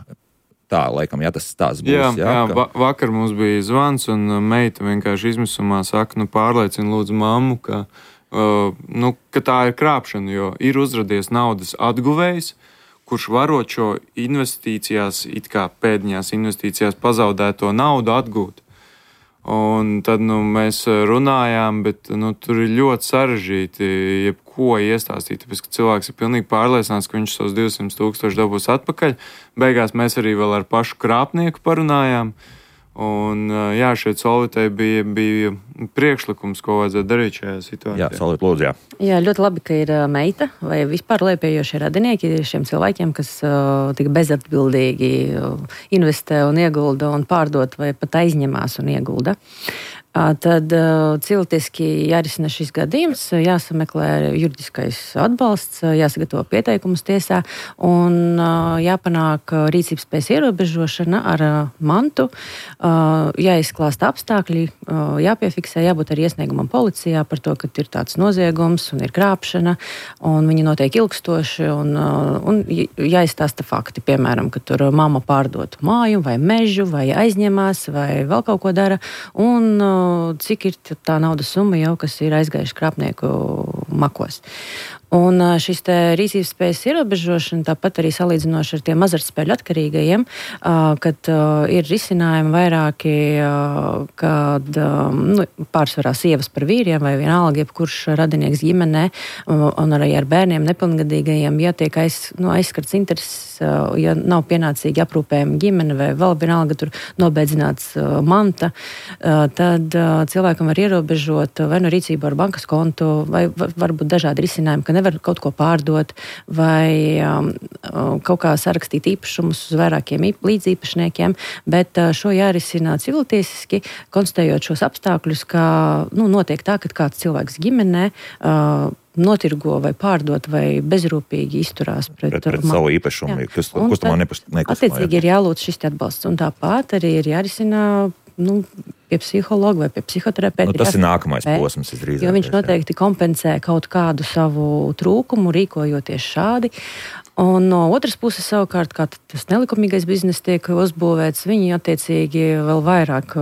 tā, laikam, tas tās būs. Vakar mums bija zvans, un meita vienkārši izmisumā saka, pārliecina lūdzu mammu, ka tā ir krāpšana, jo ir uzradies naudas atguvējs, kurš varot šo investīcijās, it kā pēdiņās investīcijās pazaudēto naudu atgūt. Un tad mēs runājām, bet tur ir ļoti sarežģīti jebko iestāstīt, tāpēc, ka cilvēks ir pilnīgi pārliecināts, ka viņš tos 200,000 dabūs atpakaļ. Beigās mēs arī vēl ar pašu krāpnieku parunājām. Un šeit Solvitai bija priekšlikums, ko vajadzētu darīt šajā situācijā. Solvita, lūdzu, Jā, ļoti labi, ka ir meita vai vispār lejupējošie radinieki šiem cilvēkiem, kas tik bezatbildīgi investē un iegulda un pārdot vai pat aizņemās un iegulda. Tad cilvēciski jārisina šis gadījums, jāsameklē juridiskais atbalsts, jāsagatavo pieteikums tiesā un jāpanāk rīcības spējas ierobežošana ar mantu, jāizklāsta apstākļi, jāpiefiksē, jābūt arī iesniegumam policijā par to, ka ir tāds noziegums un ir krāpšana un viņi notiek ilgstoši un jāizstāsta fakti, piemēram, ka tur mamma pārdot māju vai mežu vai aizņemās vai vēl kaut ko dara un cik ir tā naudas summa jau, kas ir aizgājuši krāpnieku makos. Un šis rīcības spējas ierobežošana, tāpat arī salīdzinoši ar tiem azartspēļu atkarīgajiem, kad ir risinājumi vairāki, kad pārsvarā sievas par vīriem vai vienalga, jebkurš radinieks ģimenē un arī ar bērniem nepilngadīgajiem, ja tiek aizskarts intereses, ja nav pienācīgi aprūpējama ģimene vai vēl vienalga tur nobeidzināts manta, tad cilvēkam var ierobežot vai no rīcību ar bankas kontu, vai varbūt dažādi risinājumi, ka nevar kaut ko pārdot vai kaut kā sarakstīt īpašumus uz vairākiem līdzīpašniekiem, bet šo jārisina civiltiesiski, konstatējot šos apstākļus, ka notiek tā, ka kāds cilvēks ģimenē notirgo vai pārdot vai bezrūpīgi izturās pret savu īpašumu, kustamā nekustamā. Attiecīgi ir jālūdz šis atbalsts, un tāpat arī ir jārisina pie psihologa vai pie psihoterapeita. Tas ir nākamais posms, drīzāk. Jo viņš noteikti kompensē kaut kādu savu trūkumu, rīkojoties šādi. Un no otras puses, savukārt, kā tas nelikumīgais bizness tiek uzbūvēts, viņi attiecīgi vēl vairāk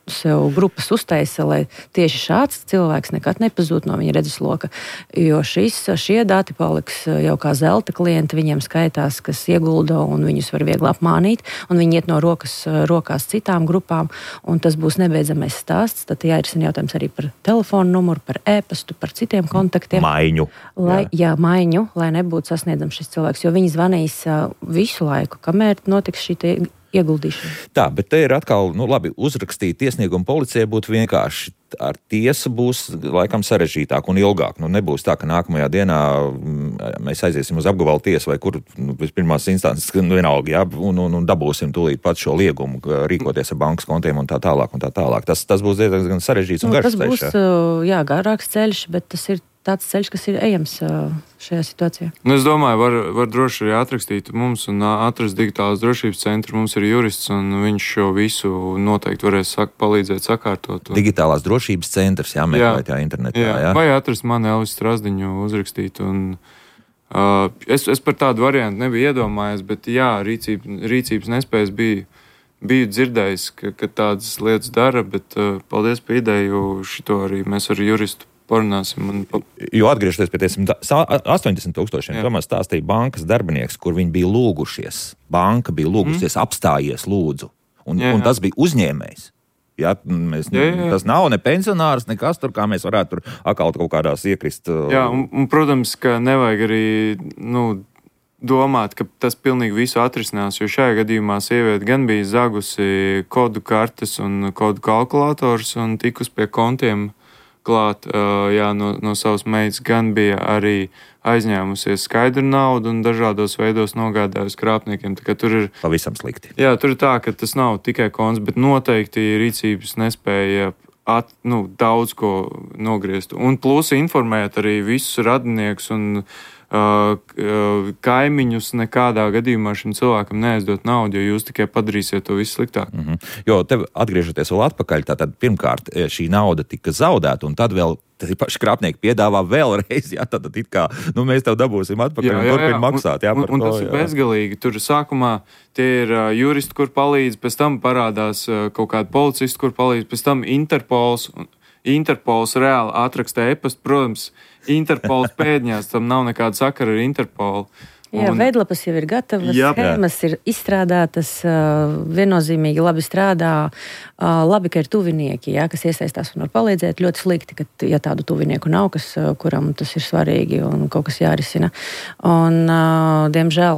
sev grupas uztaisa, lai tieši šāds cilvēks nekad nepazūd no viņa redzesloka. Jo šie dati paliks jau kā zelta klienti, viņiem skaitās, kas iegulda un viņus var viegli apmānīt, un viņi iet no rokās citām grupām, un tas būs nebeidzamais stāsts. Tad jārisina jautājums arī par telefonu numuru, par e-pastu, par citiem kontaktiem. Maiņu. Maiņu, lai nebūtu sasniedzams šis cilvēks, jo viņi zvanīs visu laiku, kamēr notiks šī ieguldīšana. Tā, bet te ir atkal, labi, uzrakstīt iesniegumu policijai būtu vienkārši. Ar tiesu būs laikam sarežģītāk un ilgāk. Nebūs tā, ka nākamajā dienā mēs aiziesim uz apgabalu tiesu vai kur pēc pirmās instances vienalga, un dabūsim tūlīt pat šo liegumu, rīkoties ar bankas kontiem un tā tālāk. Tas būs diezgan sarežģīts un garš ceļš. Tas būs, garāks ceļš, bet tas ir tāds ceļš, kas ir ejams šajā situācijā. Es domāju, var droši arī atrakstīt mums un atrast digitālās drošības centru. Mums ir jurists, un viņš šo visu noteikti varēs palīdzēt sakārtot. Digitālās drošības centrs jāmeklēt internetā. Jā. Vai atrast mani Elvis Strazdiņu, uzrakstīt. Es par tādu variantu nebiju iedomājies, bet rīcības nespējas biju dzirdējis, ka tādas lietas dara, bet paldies par ideju. Šito arī mēs ar juristu parunāsim. Jo atgriežoties pie 80,000, Tomas stāstīja bankas darbinieks, kur viņi bija lūgušies. Banka bija lūgusies, apstājies lūdzu. Un tas bija uzņēmējs. Jā, tas nav ne pensionārs, nekas tur, kā mēs varētu tur atkal kaut kādās iekrist. Jā, un protams, ka nevajag arī, domāt, ka tas pilnīgi visu atrisinās, jo šajā gadījumā sieviete gan bija zagusi kodu kartes un kodu kalkulators un tikus pie kontiem klāt no savas meitas, gan bija arī aizņēmusies skaidru naudu un dažādos veidos nogādājusi krāpniekiem. Tā kā tur ir pavisam slikti. Jā, tur ir tā, ka tas nav tikai konts, bet noteikti rīcības nespēja daudz ko nogriezt. Un plus informēt arī visus radiniekus un kaimiņus nekādā gadījumā šim cilvēkam neaizdot naudu, jo jūs tikai padarīsiet to visu sliktāk. Jo tev atgriežoties vēl atpakaļ, tātad pirmkārt šī nauda tika zaudēta, un tad vēl paši krāpnieki piedāvā vēlreiz, tad it kā, mēs tev dabūsim atpakaļ un turpin maksāt. Un tas ir bezgalīgi. Tur sākumā tie ir juristi, kur palīdz, pēc tam parādās kaut kādi policisti, kur palīdz, pēc tam Interpols reāli atraksta e-pastu, protams, Interpols pēdņās, tam nav nekāda sakara ar Interpolu. Jā, veidlapas jau ir gatavas, schēmas ir izstrādātas, viennozīmīgi labi strādā. Labi, ka ir tuvinieki, kas iesaistās un var palīdzēt. Ļoti slikti, ka ja tādu tuvinieku nav, kuram tas ir svarīgi un kaut kas jārisina. Un, diemžēl,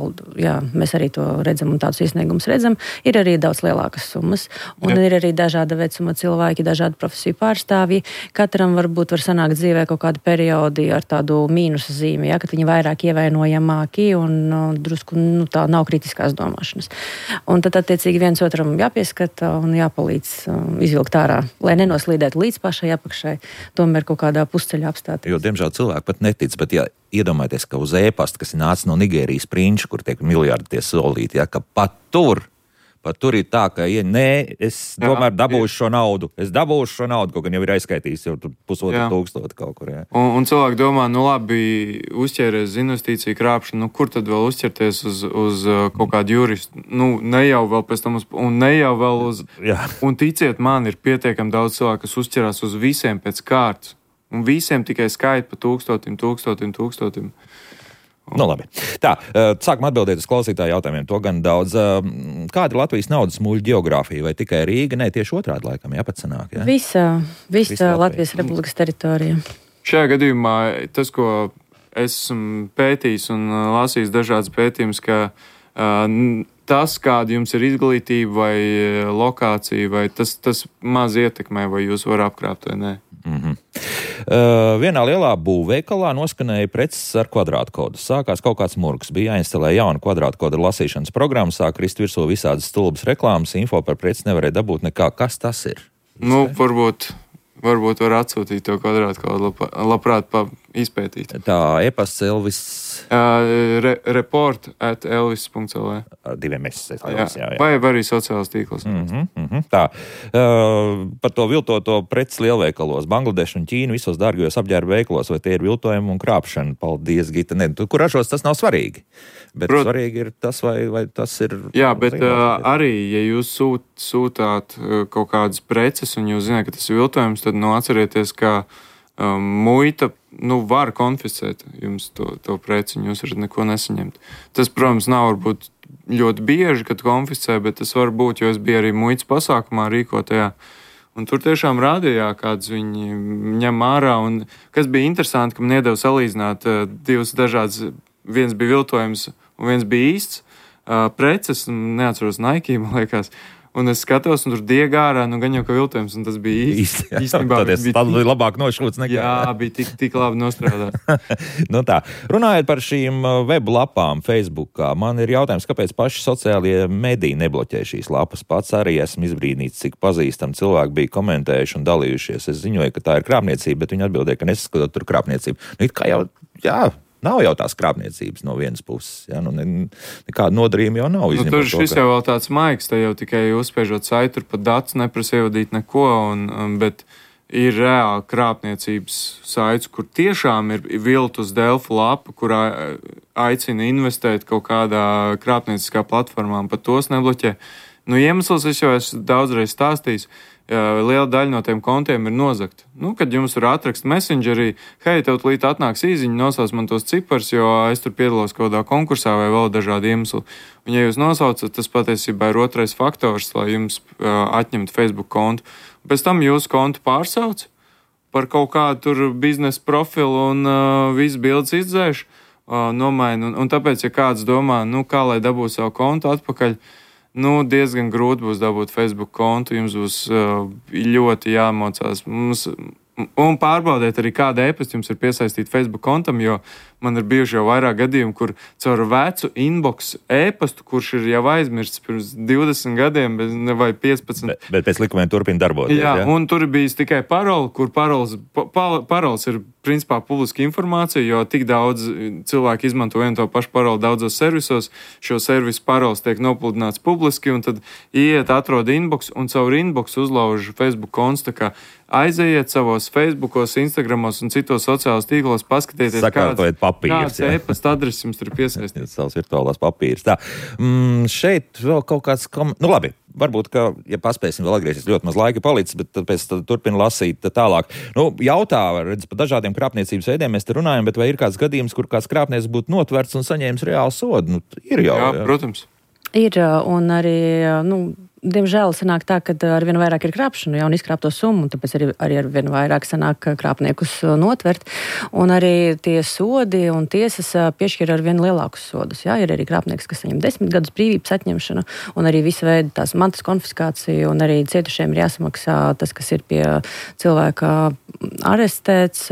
mēs arī to redzam un tādus iesniegumus redzam. Ir arī daudz lielākas summas un ir arī dažāda vecuma cilvēki, dažādu profesiju pārstāvji. Katram var sanākt dzīvē kaut kādi periodi ar tādu mīnusa zīmi, kad viņi vairāk ievainojamāki un drusku tā nav kritiskās domāšanas. Un tad attiecīgi viens otram jāpieskata un jāpalīdz izvilkt ārā, lai nenoslīdētu līdz pašai apakšai, tomēr kaut kādā pusceļā apstāties. Jo, diemžēl, cilvēki pat netic, bet iedomājieties, ka uz e-pasta, kas ir nācis no Nigērijas prinča, kur tiek miljardi tie solīti, ka pat tur ir tā, ka es tomēr dabūšu šo naudu. Kaut gan jau ir aizskaitījis jau 1,500 kaut kur. Jā. Un cilvēki domā, labi, uzķēries uz investīciju krāpšanu, kur tad vēl uzķerties uz kaut kādu juristu? Ne jau vēl pēc tam un ticiet man, ir pietiekami daudz cilvēku, kas uzķerās uz visiem pēc kārtas. Un visiem tikai skaita pa 1000. Labi. Tā, sākam atbildēt uz klausītāju jautājumiem. To gan daudz. Kāda ir Latvijas naudas muļu geogrāfija? Vai tikai Rīga? Nē, tieši otrādi laikam jāpacenāk. Ja? Visa Latvijas Republikas teritorija. Šajā gadījumā tas, ko esmu pētījis un lasījis dažādas pētījumus, ka tas, kāda jums ir izglītība vai lokācija, vai tas maz ietekmē, vai jūs varat apkrāpt vai nē. Vienā lielā būvveikalā noskanēja preces ar kvadrātkodu. Sākās kaut kāds murgs. Bija jāinstalē jauna kvadrātkoda lasīšanas programma, sāk krist virsū visādas stulbas reklāmas, info par preci nevarēja dabūt nekā. Kas tas ir? Varbūt var atsūtīt to kvadrātkodu, labprāt izpētīt. Tā e-pasts Elvis. report@elvis.lv. Diviem mesēs. Jā. Vai arī sociālās tīklos. Tā. Par to viltoto preci lielveikalos. Bangladeša un Ķīna visos dārgajos apģērba veikalos, vai tie ir viltojumi un krāpšana? Paldies, Gita. Kur ražos, tas nav svarīgi. Bet svarīgi ir tas, vai tas ir... Jā, bet arī, ja jūs sūtāt kaut kādas preces un jūs zināt, ka tas ir viltojums, tad atcerieties, ka muita var konfiscēt jums to preci, un jūs varat neko nesaņemt. Tas, protams, nav varbūt ļoti bieži, kad konfiscē, bet tas var būt, jo es biju arī muitas pasākumā rīkotajā. Un tur tiešām rādījā, kāds viņi ņem ārā. Un kas bija interesanti, ka man iedeva salīdzināt divas dažādas, viens bija viltojums un viens bija īsts preces, neatceros Nike, man liekas. Un es skatos, un tur diega ārā, gan jau kā viltojums, un tas bija īstenībā. Tā bija labāk nošūts nekā. Jā, bija tik labi nostrādāts. Tā. Runājot par šīm web lapām Facebookā, man ir jautājums, kāpēc paši sociālie mediji nebloķē šīs lapas. Pats arī esmu izbrīnīts, cik pazīstami cilvēki bija komentējuši un dalījušies. Es ziņoju, ka tā ir krāpniecība, bet viņi atbildēja, ka nesaskatot tur krāpniecību. It kā jau, nav jau tās krāpniecības no vienas puses. Ja? Nekāda nodarījuma jau nav. Tur šis jau vēl tāds maigs, te jau tikai uzspiežot saiti, tur pat datus neprasa ievadīt neko, bet ir reāli krāpniecības saits, kur tiešām ir viltus Delfu lapa, kurā aicina investēt kaut kādā krāpnieciskā platformā, pat tos nebloķē. Iemesls es jau esmu daudzreiz stāstījis. Liela daļa no tiem kontiem ir nozagta. Kad jums tur atrakst messengerī, hei, tev līdz atnāks īziņa, nosauc man tos cipars, jo es tur piedalos kaut kādā konkursā vai vēl dažādi iemesli. Un ja jūs nosaucat, tas patiesībā ir otrais faktors, lai jums atņemtu Facebook kontu. Pēc tam jūsu kontu pārsauc par kaut kādu tur biznesa profilu un visu bildes izdzēš, nomaina. Un tāpēc, ja kāds domā, kā lai dabūtu savu kontu atpakaļ, diezgan grūti būs dabūt Facebook kontu, jums būs ļoti jāmocās. Un pārbaudiet arī, kāda e-pasta jums ir piesaistīta Facebook kontam, jo man ir bijuši jau vairāk gadījumi, kur caur vecu inbox e-pastu, kurš ir jau aizmirsts pirms 20 gadiem vai 15. Bet pēc likumiem turpina darboties. Jā, un tur bijis tikai paroli, kur parols ir principā publiska informācija, jo tik daudz cilvēku izmanto vienu to pašu paroli daudzos servisos. Šo servisu parols tiek nopludināts publiski, un tad iet, atrod inbox, un caur inbox uzlauž Facebook konts. Tā kā aizejiet savos Facebookos, Instagramos un citos sociālos tīklos, paskatieties, kāds e-pasta adreses jums ir piesaistīts. Savs virtuālās papīrs. Tā. Šeit vēl kaut kāds labi. Varbūt, ka, ja paspēsim vēl atgriezties, ļoti maz laika palicis, bet pēc tam turpina lasīt tālāk. Jautā, redz, par dažādiem krāpniecības veidiem mēs te runājam, bet vai ir kāds gadījums, kur kāds krāpnieks būtu notverts un saņēmis reālu sodu? Ir jau. Jā, protams. Ir, un arī, diemžēl sanāk tā, ka arvien vairāk ir krāpšana, un izkrāpto summu, un tāpēc arī arvien vairāk sanāk krāpniekus notvert. Un arī tie sodi un tiesas piešķir arvien lielākus sodus. Jā, ir arī krāpnieks, kas saņem 10 gadus brīvības atņemšanu, un arī visu veidu tās mantas konfiskāciju, un arī cietušiem ir jāsamaksā tas, kas ir pie cilvēka arestēts.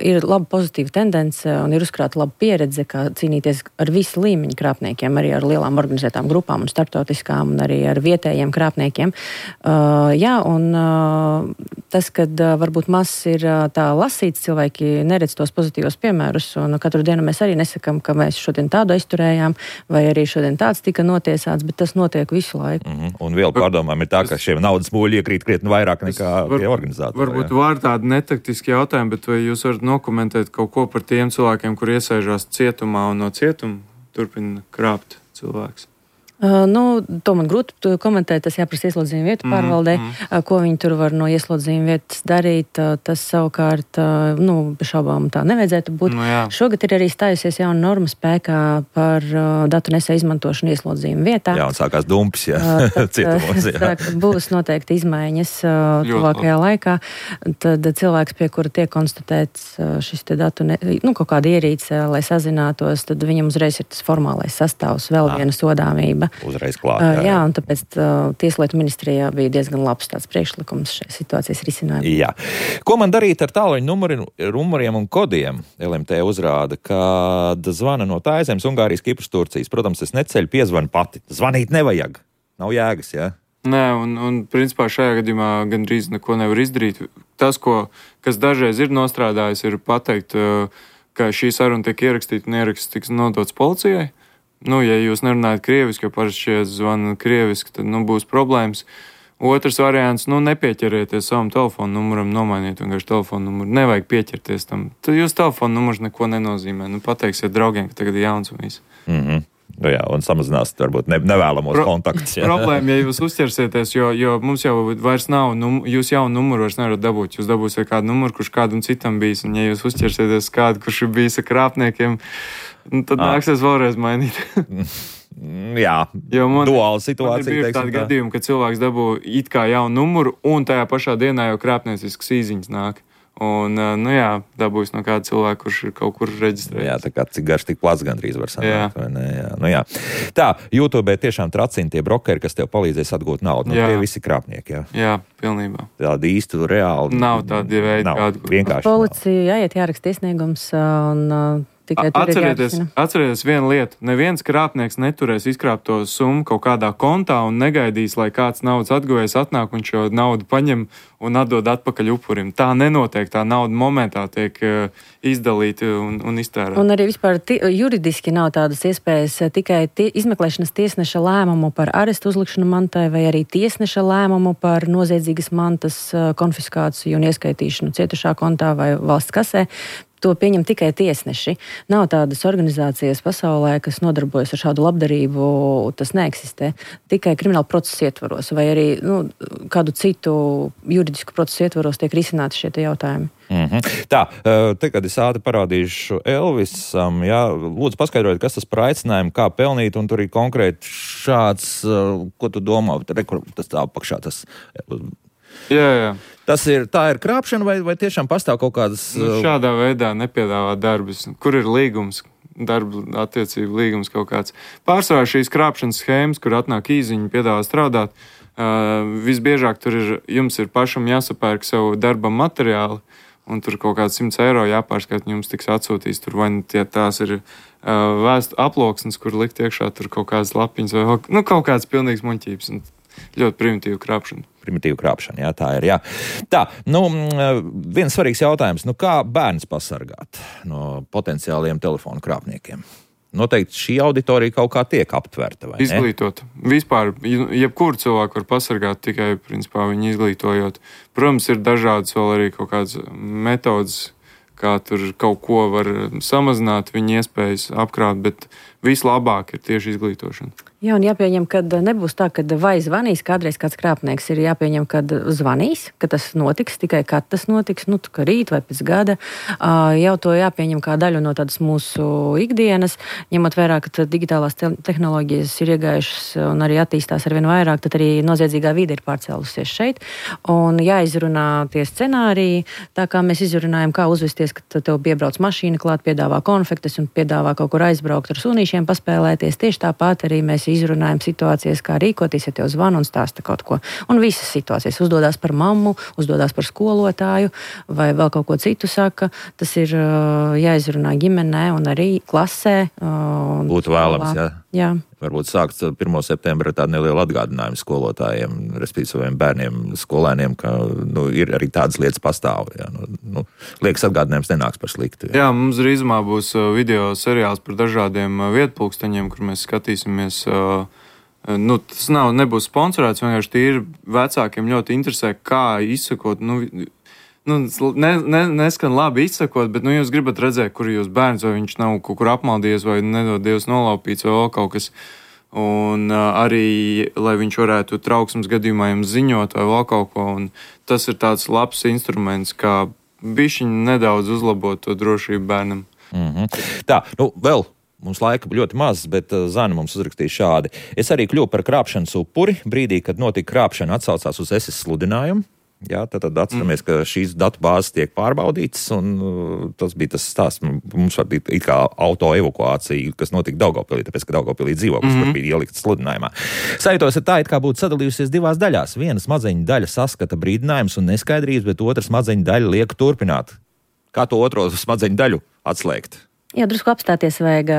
Ir laba pozitīva tendence, un ir uzkrāta laba pieredze, kā cīnīties ar visu līmeņu krāpniekiem, arī ar lielām organizētām grupām un starptautiskām, un arī ar vietējiem krāpniekiem. Tas, kad varbūt maz ir tā lasīts, cilvēki neredz tos pozitīvos piemērus, un katru dienu mēs arī nesakam, ka mēs šodien tādu aizturējām, vai arī šodien tāds tika notiesāts, bet tas notiek visu laiku. Un vēl pārdomām ir tā, ka šiem naudas mūļi iekrīt krietni vairāk nekā pie organizātora. Varbūt var tādi netaktiski jautājumi, bet vai jūs varat nokomentēt kaut ko par tiem cilvēkiem, kur iesēžās cietumā un no cietuma turpina krāpt cilvēks? To man grūti komentēt, tas jāprasa ieslodzījuma vietu pārvaldē, ko viņi tur var no ieslodzījuma vietas darīt. Tas savukārt, bez šaubām tā nevajadzētu būt. Šogad ir arī stājusies jauna norma spēkā par datu nesēju izmantošanu ieslodzījuma vietā. Jā, un sākās dumpis, cietumos. Būs noteikti izmaiņas tuvākajā laikā. Tad cilvēks, pie kura tiek konstatēts šis te datu, kaut kāda ierīce, lai sazinātos, tad viņam uzreiz ir tas formālais sastāvs, vēl viena sodāmība. Uzreiz klāt. Jā, un tāpēc Tieslietu ministrijā bija diezgan labs tāds priekšlikums šai situācijas risinājumam. Jā. Ko man darīt ar tālruņa numuriem un kodiem? LMT uzrāda, kad zvana no Tāizemes, Ungārijas, Kipras, Turcijas. Protams, es neceļu, piezvanu pati. Zvanīt nevajag. Nav jēgas, jā? Nē, un principā šajā gadījumā gandrīz neko nevar izdarīt. Tas, kas dažreiz ir nostrādājis, ir pateikt, ka šī saruna tiek ierakstīta un ieraksts tiks nodots policijai. Ja jūs nerunājat krieviski, jo parasti šie zvana krieviski, tad būs problēmas. Otrs variants, nepieķerieties savam telefonu numuram, nomainiet vienkārši telefonu numuru. Nevajag pieķerties tam. Tad jūs telefonu numurs neko nenozīmē. Pateiksiet draugiem, ka tagad ir jauns un viss. Jā, un samazināsiet varbūt nevēlamos kontaktus. Problēma, ja jūs uzķersieties, jo mums jau vairs nav, jūs jaunu numuru vairs nevarat dabūt. Jūs dabūsiet kādu numuru, kurš kādam citam bijis, un ja jūs uzķersieties kādu, kurš ir bijis ar krāpniekiem, tad nāksies vēlreiz mainīt. Jā, duāla situācija. Man ir tādi gadījumi, ka cilvēks dabū it kā jaunu numuru, un tajā pašā dienā jau krāpniecisks īziņas nāk. Un, dabūjis no kāda cilvēka, kurš ir kaut kur reģistrējies. Jā, tā kā cik garš, tik plats gandrīz var sanākt. Jā. Tā, YouTube tiešām tracina tie brokeri, kas tev palīdzēs atgūt naudu. Tie visi krāpnieki, Jā, pilnībā. Tādi īsti reāli. Nav tādi veidi, kādi. Vienkārši. Policija jāiet jāraksta iesniegums un tikai atcerieties vienu lietu. Neviens krāpnieks neturēs izkrāpt to summu kaut kādā kontā un negaidīs, lai kāds naudas atguvējs atnāk un šo naudu paņem un atdod atpakaļ upurim. Tā nenotiek, tā nauda momentā tiek izdalīta un iztērēta. Un arī vispār juridiski nav tādas iespējas tikai izmeklēšanas tiesneša lēmumu par arestu uzlikšanu mantai vai arī tiesneša lēmumu par noziedzīgas mantas konfiskāciju un ieskaitīšanu cietušā kontā vai valsts kasē. To pieņem tikai tiesneši. Nav tādas organizācijas pasaulē, kas nodarbojas ar šādu labdarību, tas neeksistē. Tikai krimināla procesa ietvaros vai arī kādu citu juridisku procesu ietvaros tiek risināti šie jautājumi. Tā, kad es ātri parādīšu Elvisam, lūdzu paskaidrojiet, kas tas par aicinājumu, kā pelnīt, un tur ir konkrēti šāds, ko tu domā, tas tā apakšā tas... Jā. Tā ir krāpšana vai tiešām pastāv kaut kādas... Šādā veidā nepiedāvā darbus. Kur ir līgums, darba attiecību līgums kaut kāds. Pārsvarā šīs krāpšanas schēmas, kur atnāk īziņi, piedāvā strādāt, visbiežāk jums ir pašam jāsapērk savu darba materiāli, un tur kaut kāds 100 eiro jāpārskat, jums tiks atsūtīs. Tur vai tās ir aploksnes, kur likt iekšā tur kaut kādas lapiņas vai kaut kāds pilnīgs muļķības. Ļoti primitīva krāpšana. Primitīva krāpšana, tā ir. Jā. Tā, viens svarīgs jautājums. Kā bērns pasargāt no potenciāliem telefonu krāpniekiem? Noteikti šī auditorija kaut kā tiek aptverta, vai ne? Izglītot. Vispār, jebkuru cilvēku var pasargāt tikai, principā, viņu izglītojot. Protams, ir dažādas vēl arī kaut kādas metodas, kā tur kaut ko var samazināt, viņa iespējas apkrāt, bet vislabāk ir tieši izglītošana. Jā, un jāpieņem, ka nebūs tā, ka vai zvanīs kādreiz kāds krāpnieks, ir jāpieņem, ka zvanīs, ka tas notiks, tikai kad tas notiks, ka rīt vai pēc gada. Jau to jāpieņem kā daļu no tādas mūsu ikdienas, ņemot vērā, ka digitālās tehnoloģijas ir iegājušas un arī attīstās arvien vairāk, tad arī noziedzīgā vide ir pārcēlusies šeit. Un jāizrunā tie scenāriji, tā kā mēs izrunājam, kā uzvesties, ka tev piebrauc mašīna klāt, piedāvā konfektes un piedāvā kaut kur aizbraukt ar sunīšiem paspēlēties. Tieši tāpat arī mēs izrunājam situācijas, kā rīkoties, ja tev zvana un stāsta kaut ko. Un visas situācijas uzdodās par mammu, uzdodās par skolotāju vai vēl kaut ko citu saka. Tas ir jāizrunā ģimenē un arī klasē. Būtu vēlams, jā. Varbūt sākt 1. septembra ar tādu nelielu atgādinājumu skolotājiem, respektīvi saviem bērniem, skolēniem, ka ir arī tādas lietas pastāv. Liekas, atgādinājums nenāks par sliktu. Jā, mums drīzumā būs video seriāls par dažādiem vietpulksteņiem, kur mēs skatīsimies. Tas nebūs sponsorēts, vienkārši tīri vecākiem ļoti interesē, kā izsakot. Neskan labi izsakot, bet jūs gribat redzēt, kur jūs bērns, vai viņš nav kaut kur apmaldījies, vai nedod Dievs nolaupīts, vai vēl kaut kas. Un arī, lai viņš varētu trauksmes gadījumā jums ziņot, vai vēl kaut ko. Un tas ir tāds labs instruments, kā bišķiņ nedaudz uzlabot to drošību bērnam. Tā, vēl. Mums laika ļoti maz, bet Zana mums uzrakstīja šādi. Es arī kļuvu par krāpšanas upuri. Brīdī, kad notika krāpšana, atsaucās uz SS sludinājumu. Jā, tad atceramies, ka šīs datu bāzes tiek pārbaudītas, un tas bija tas stāsts. Mums var būt it kā auto evakuācija, kas notika Daugavpilī, tāpēc, ka Daugavpilī dzīvoklis tur bija ielikts sludinājumā. Sajūtos ir tā, it kā būtu sadalījusies divās daļās. Viena smadzeņu daļa saskata brīdinājums un neskaidrības, bet otra smadzeņu daļa liek turpināt. Kā to otro smadzeņu daļu atslēgt? Jā, drusku apstāties vajag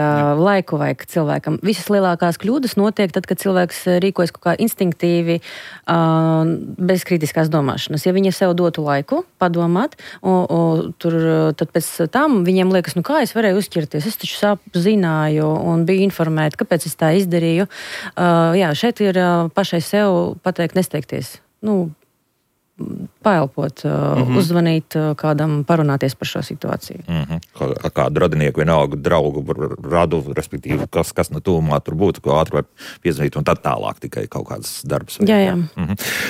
laiku vajag cilvēkam. Visas lielākās kļūdas notiek tad, kad cilvēks rīkojas kaut kā instinktīvi, bez kritiskās domāšanas. Ja viņi sev dotu laiku padomāt, tad pēc tam viņiem liekas, kā es varēju uzķerties, es taču zināju un biju informēta, kāpēc es tā izdarīju. Jā, šeit ir pašai sev pateikt nesteigties. Paelpot, uzzvanīt kādam, parunāties par šo situāciju. Kādu radinieku, vienalga draugu radu, respektīvi, kas no tuvumā tur būtu, ko ātri var piezvanīt un tad tālāk tikai kaut kāds darbs. Jā.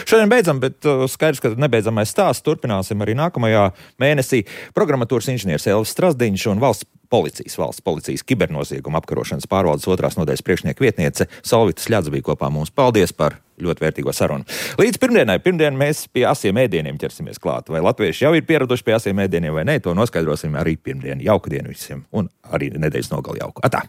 Šodien beidzam, bet skaidrs, ka nebeidzamais stāsts turpināsim arī nākamajā mēnesī. Programmatūras inženieris Elvis Strasdiņš un valsts policijas, valsts policijas kibernozieguma apkarošanas pārvaldes 2. nodaļas priekšnieka vietniece Solvita Sļadze bija kopā mums. Paldies par ļoti vērtīgo sarunu. Līdz pirmdien mēs pie asiem ēdieniem ķersimies klāt. Vai latvieši jau ir pieraduši pie asiem ēdieniem vai nē, to noskaidrosim arī pirmdien. Jauku dienu visiem un arī nedēļas nogali jauku. Atā!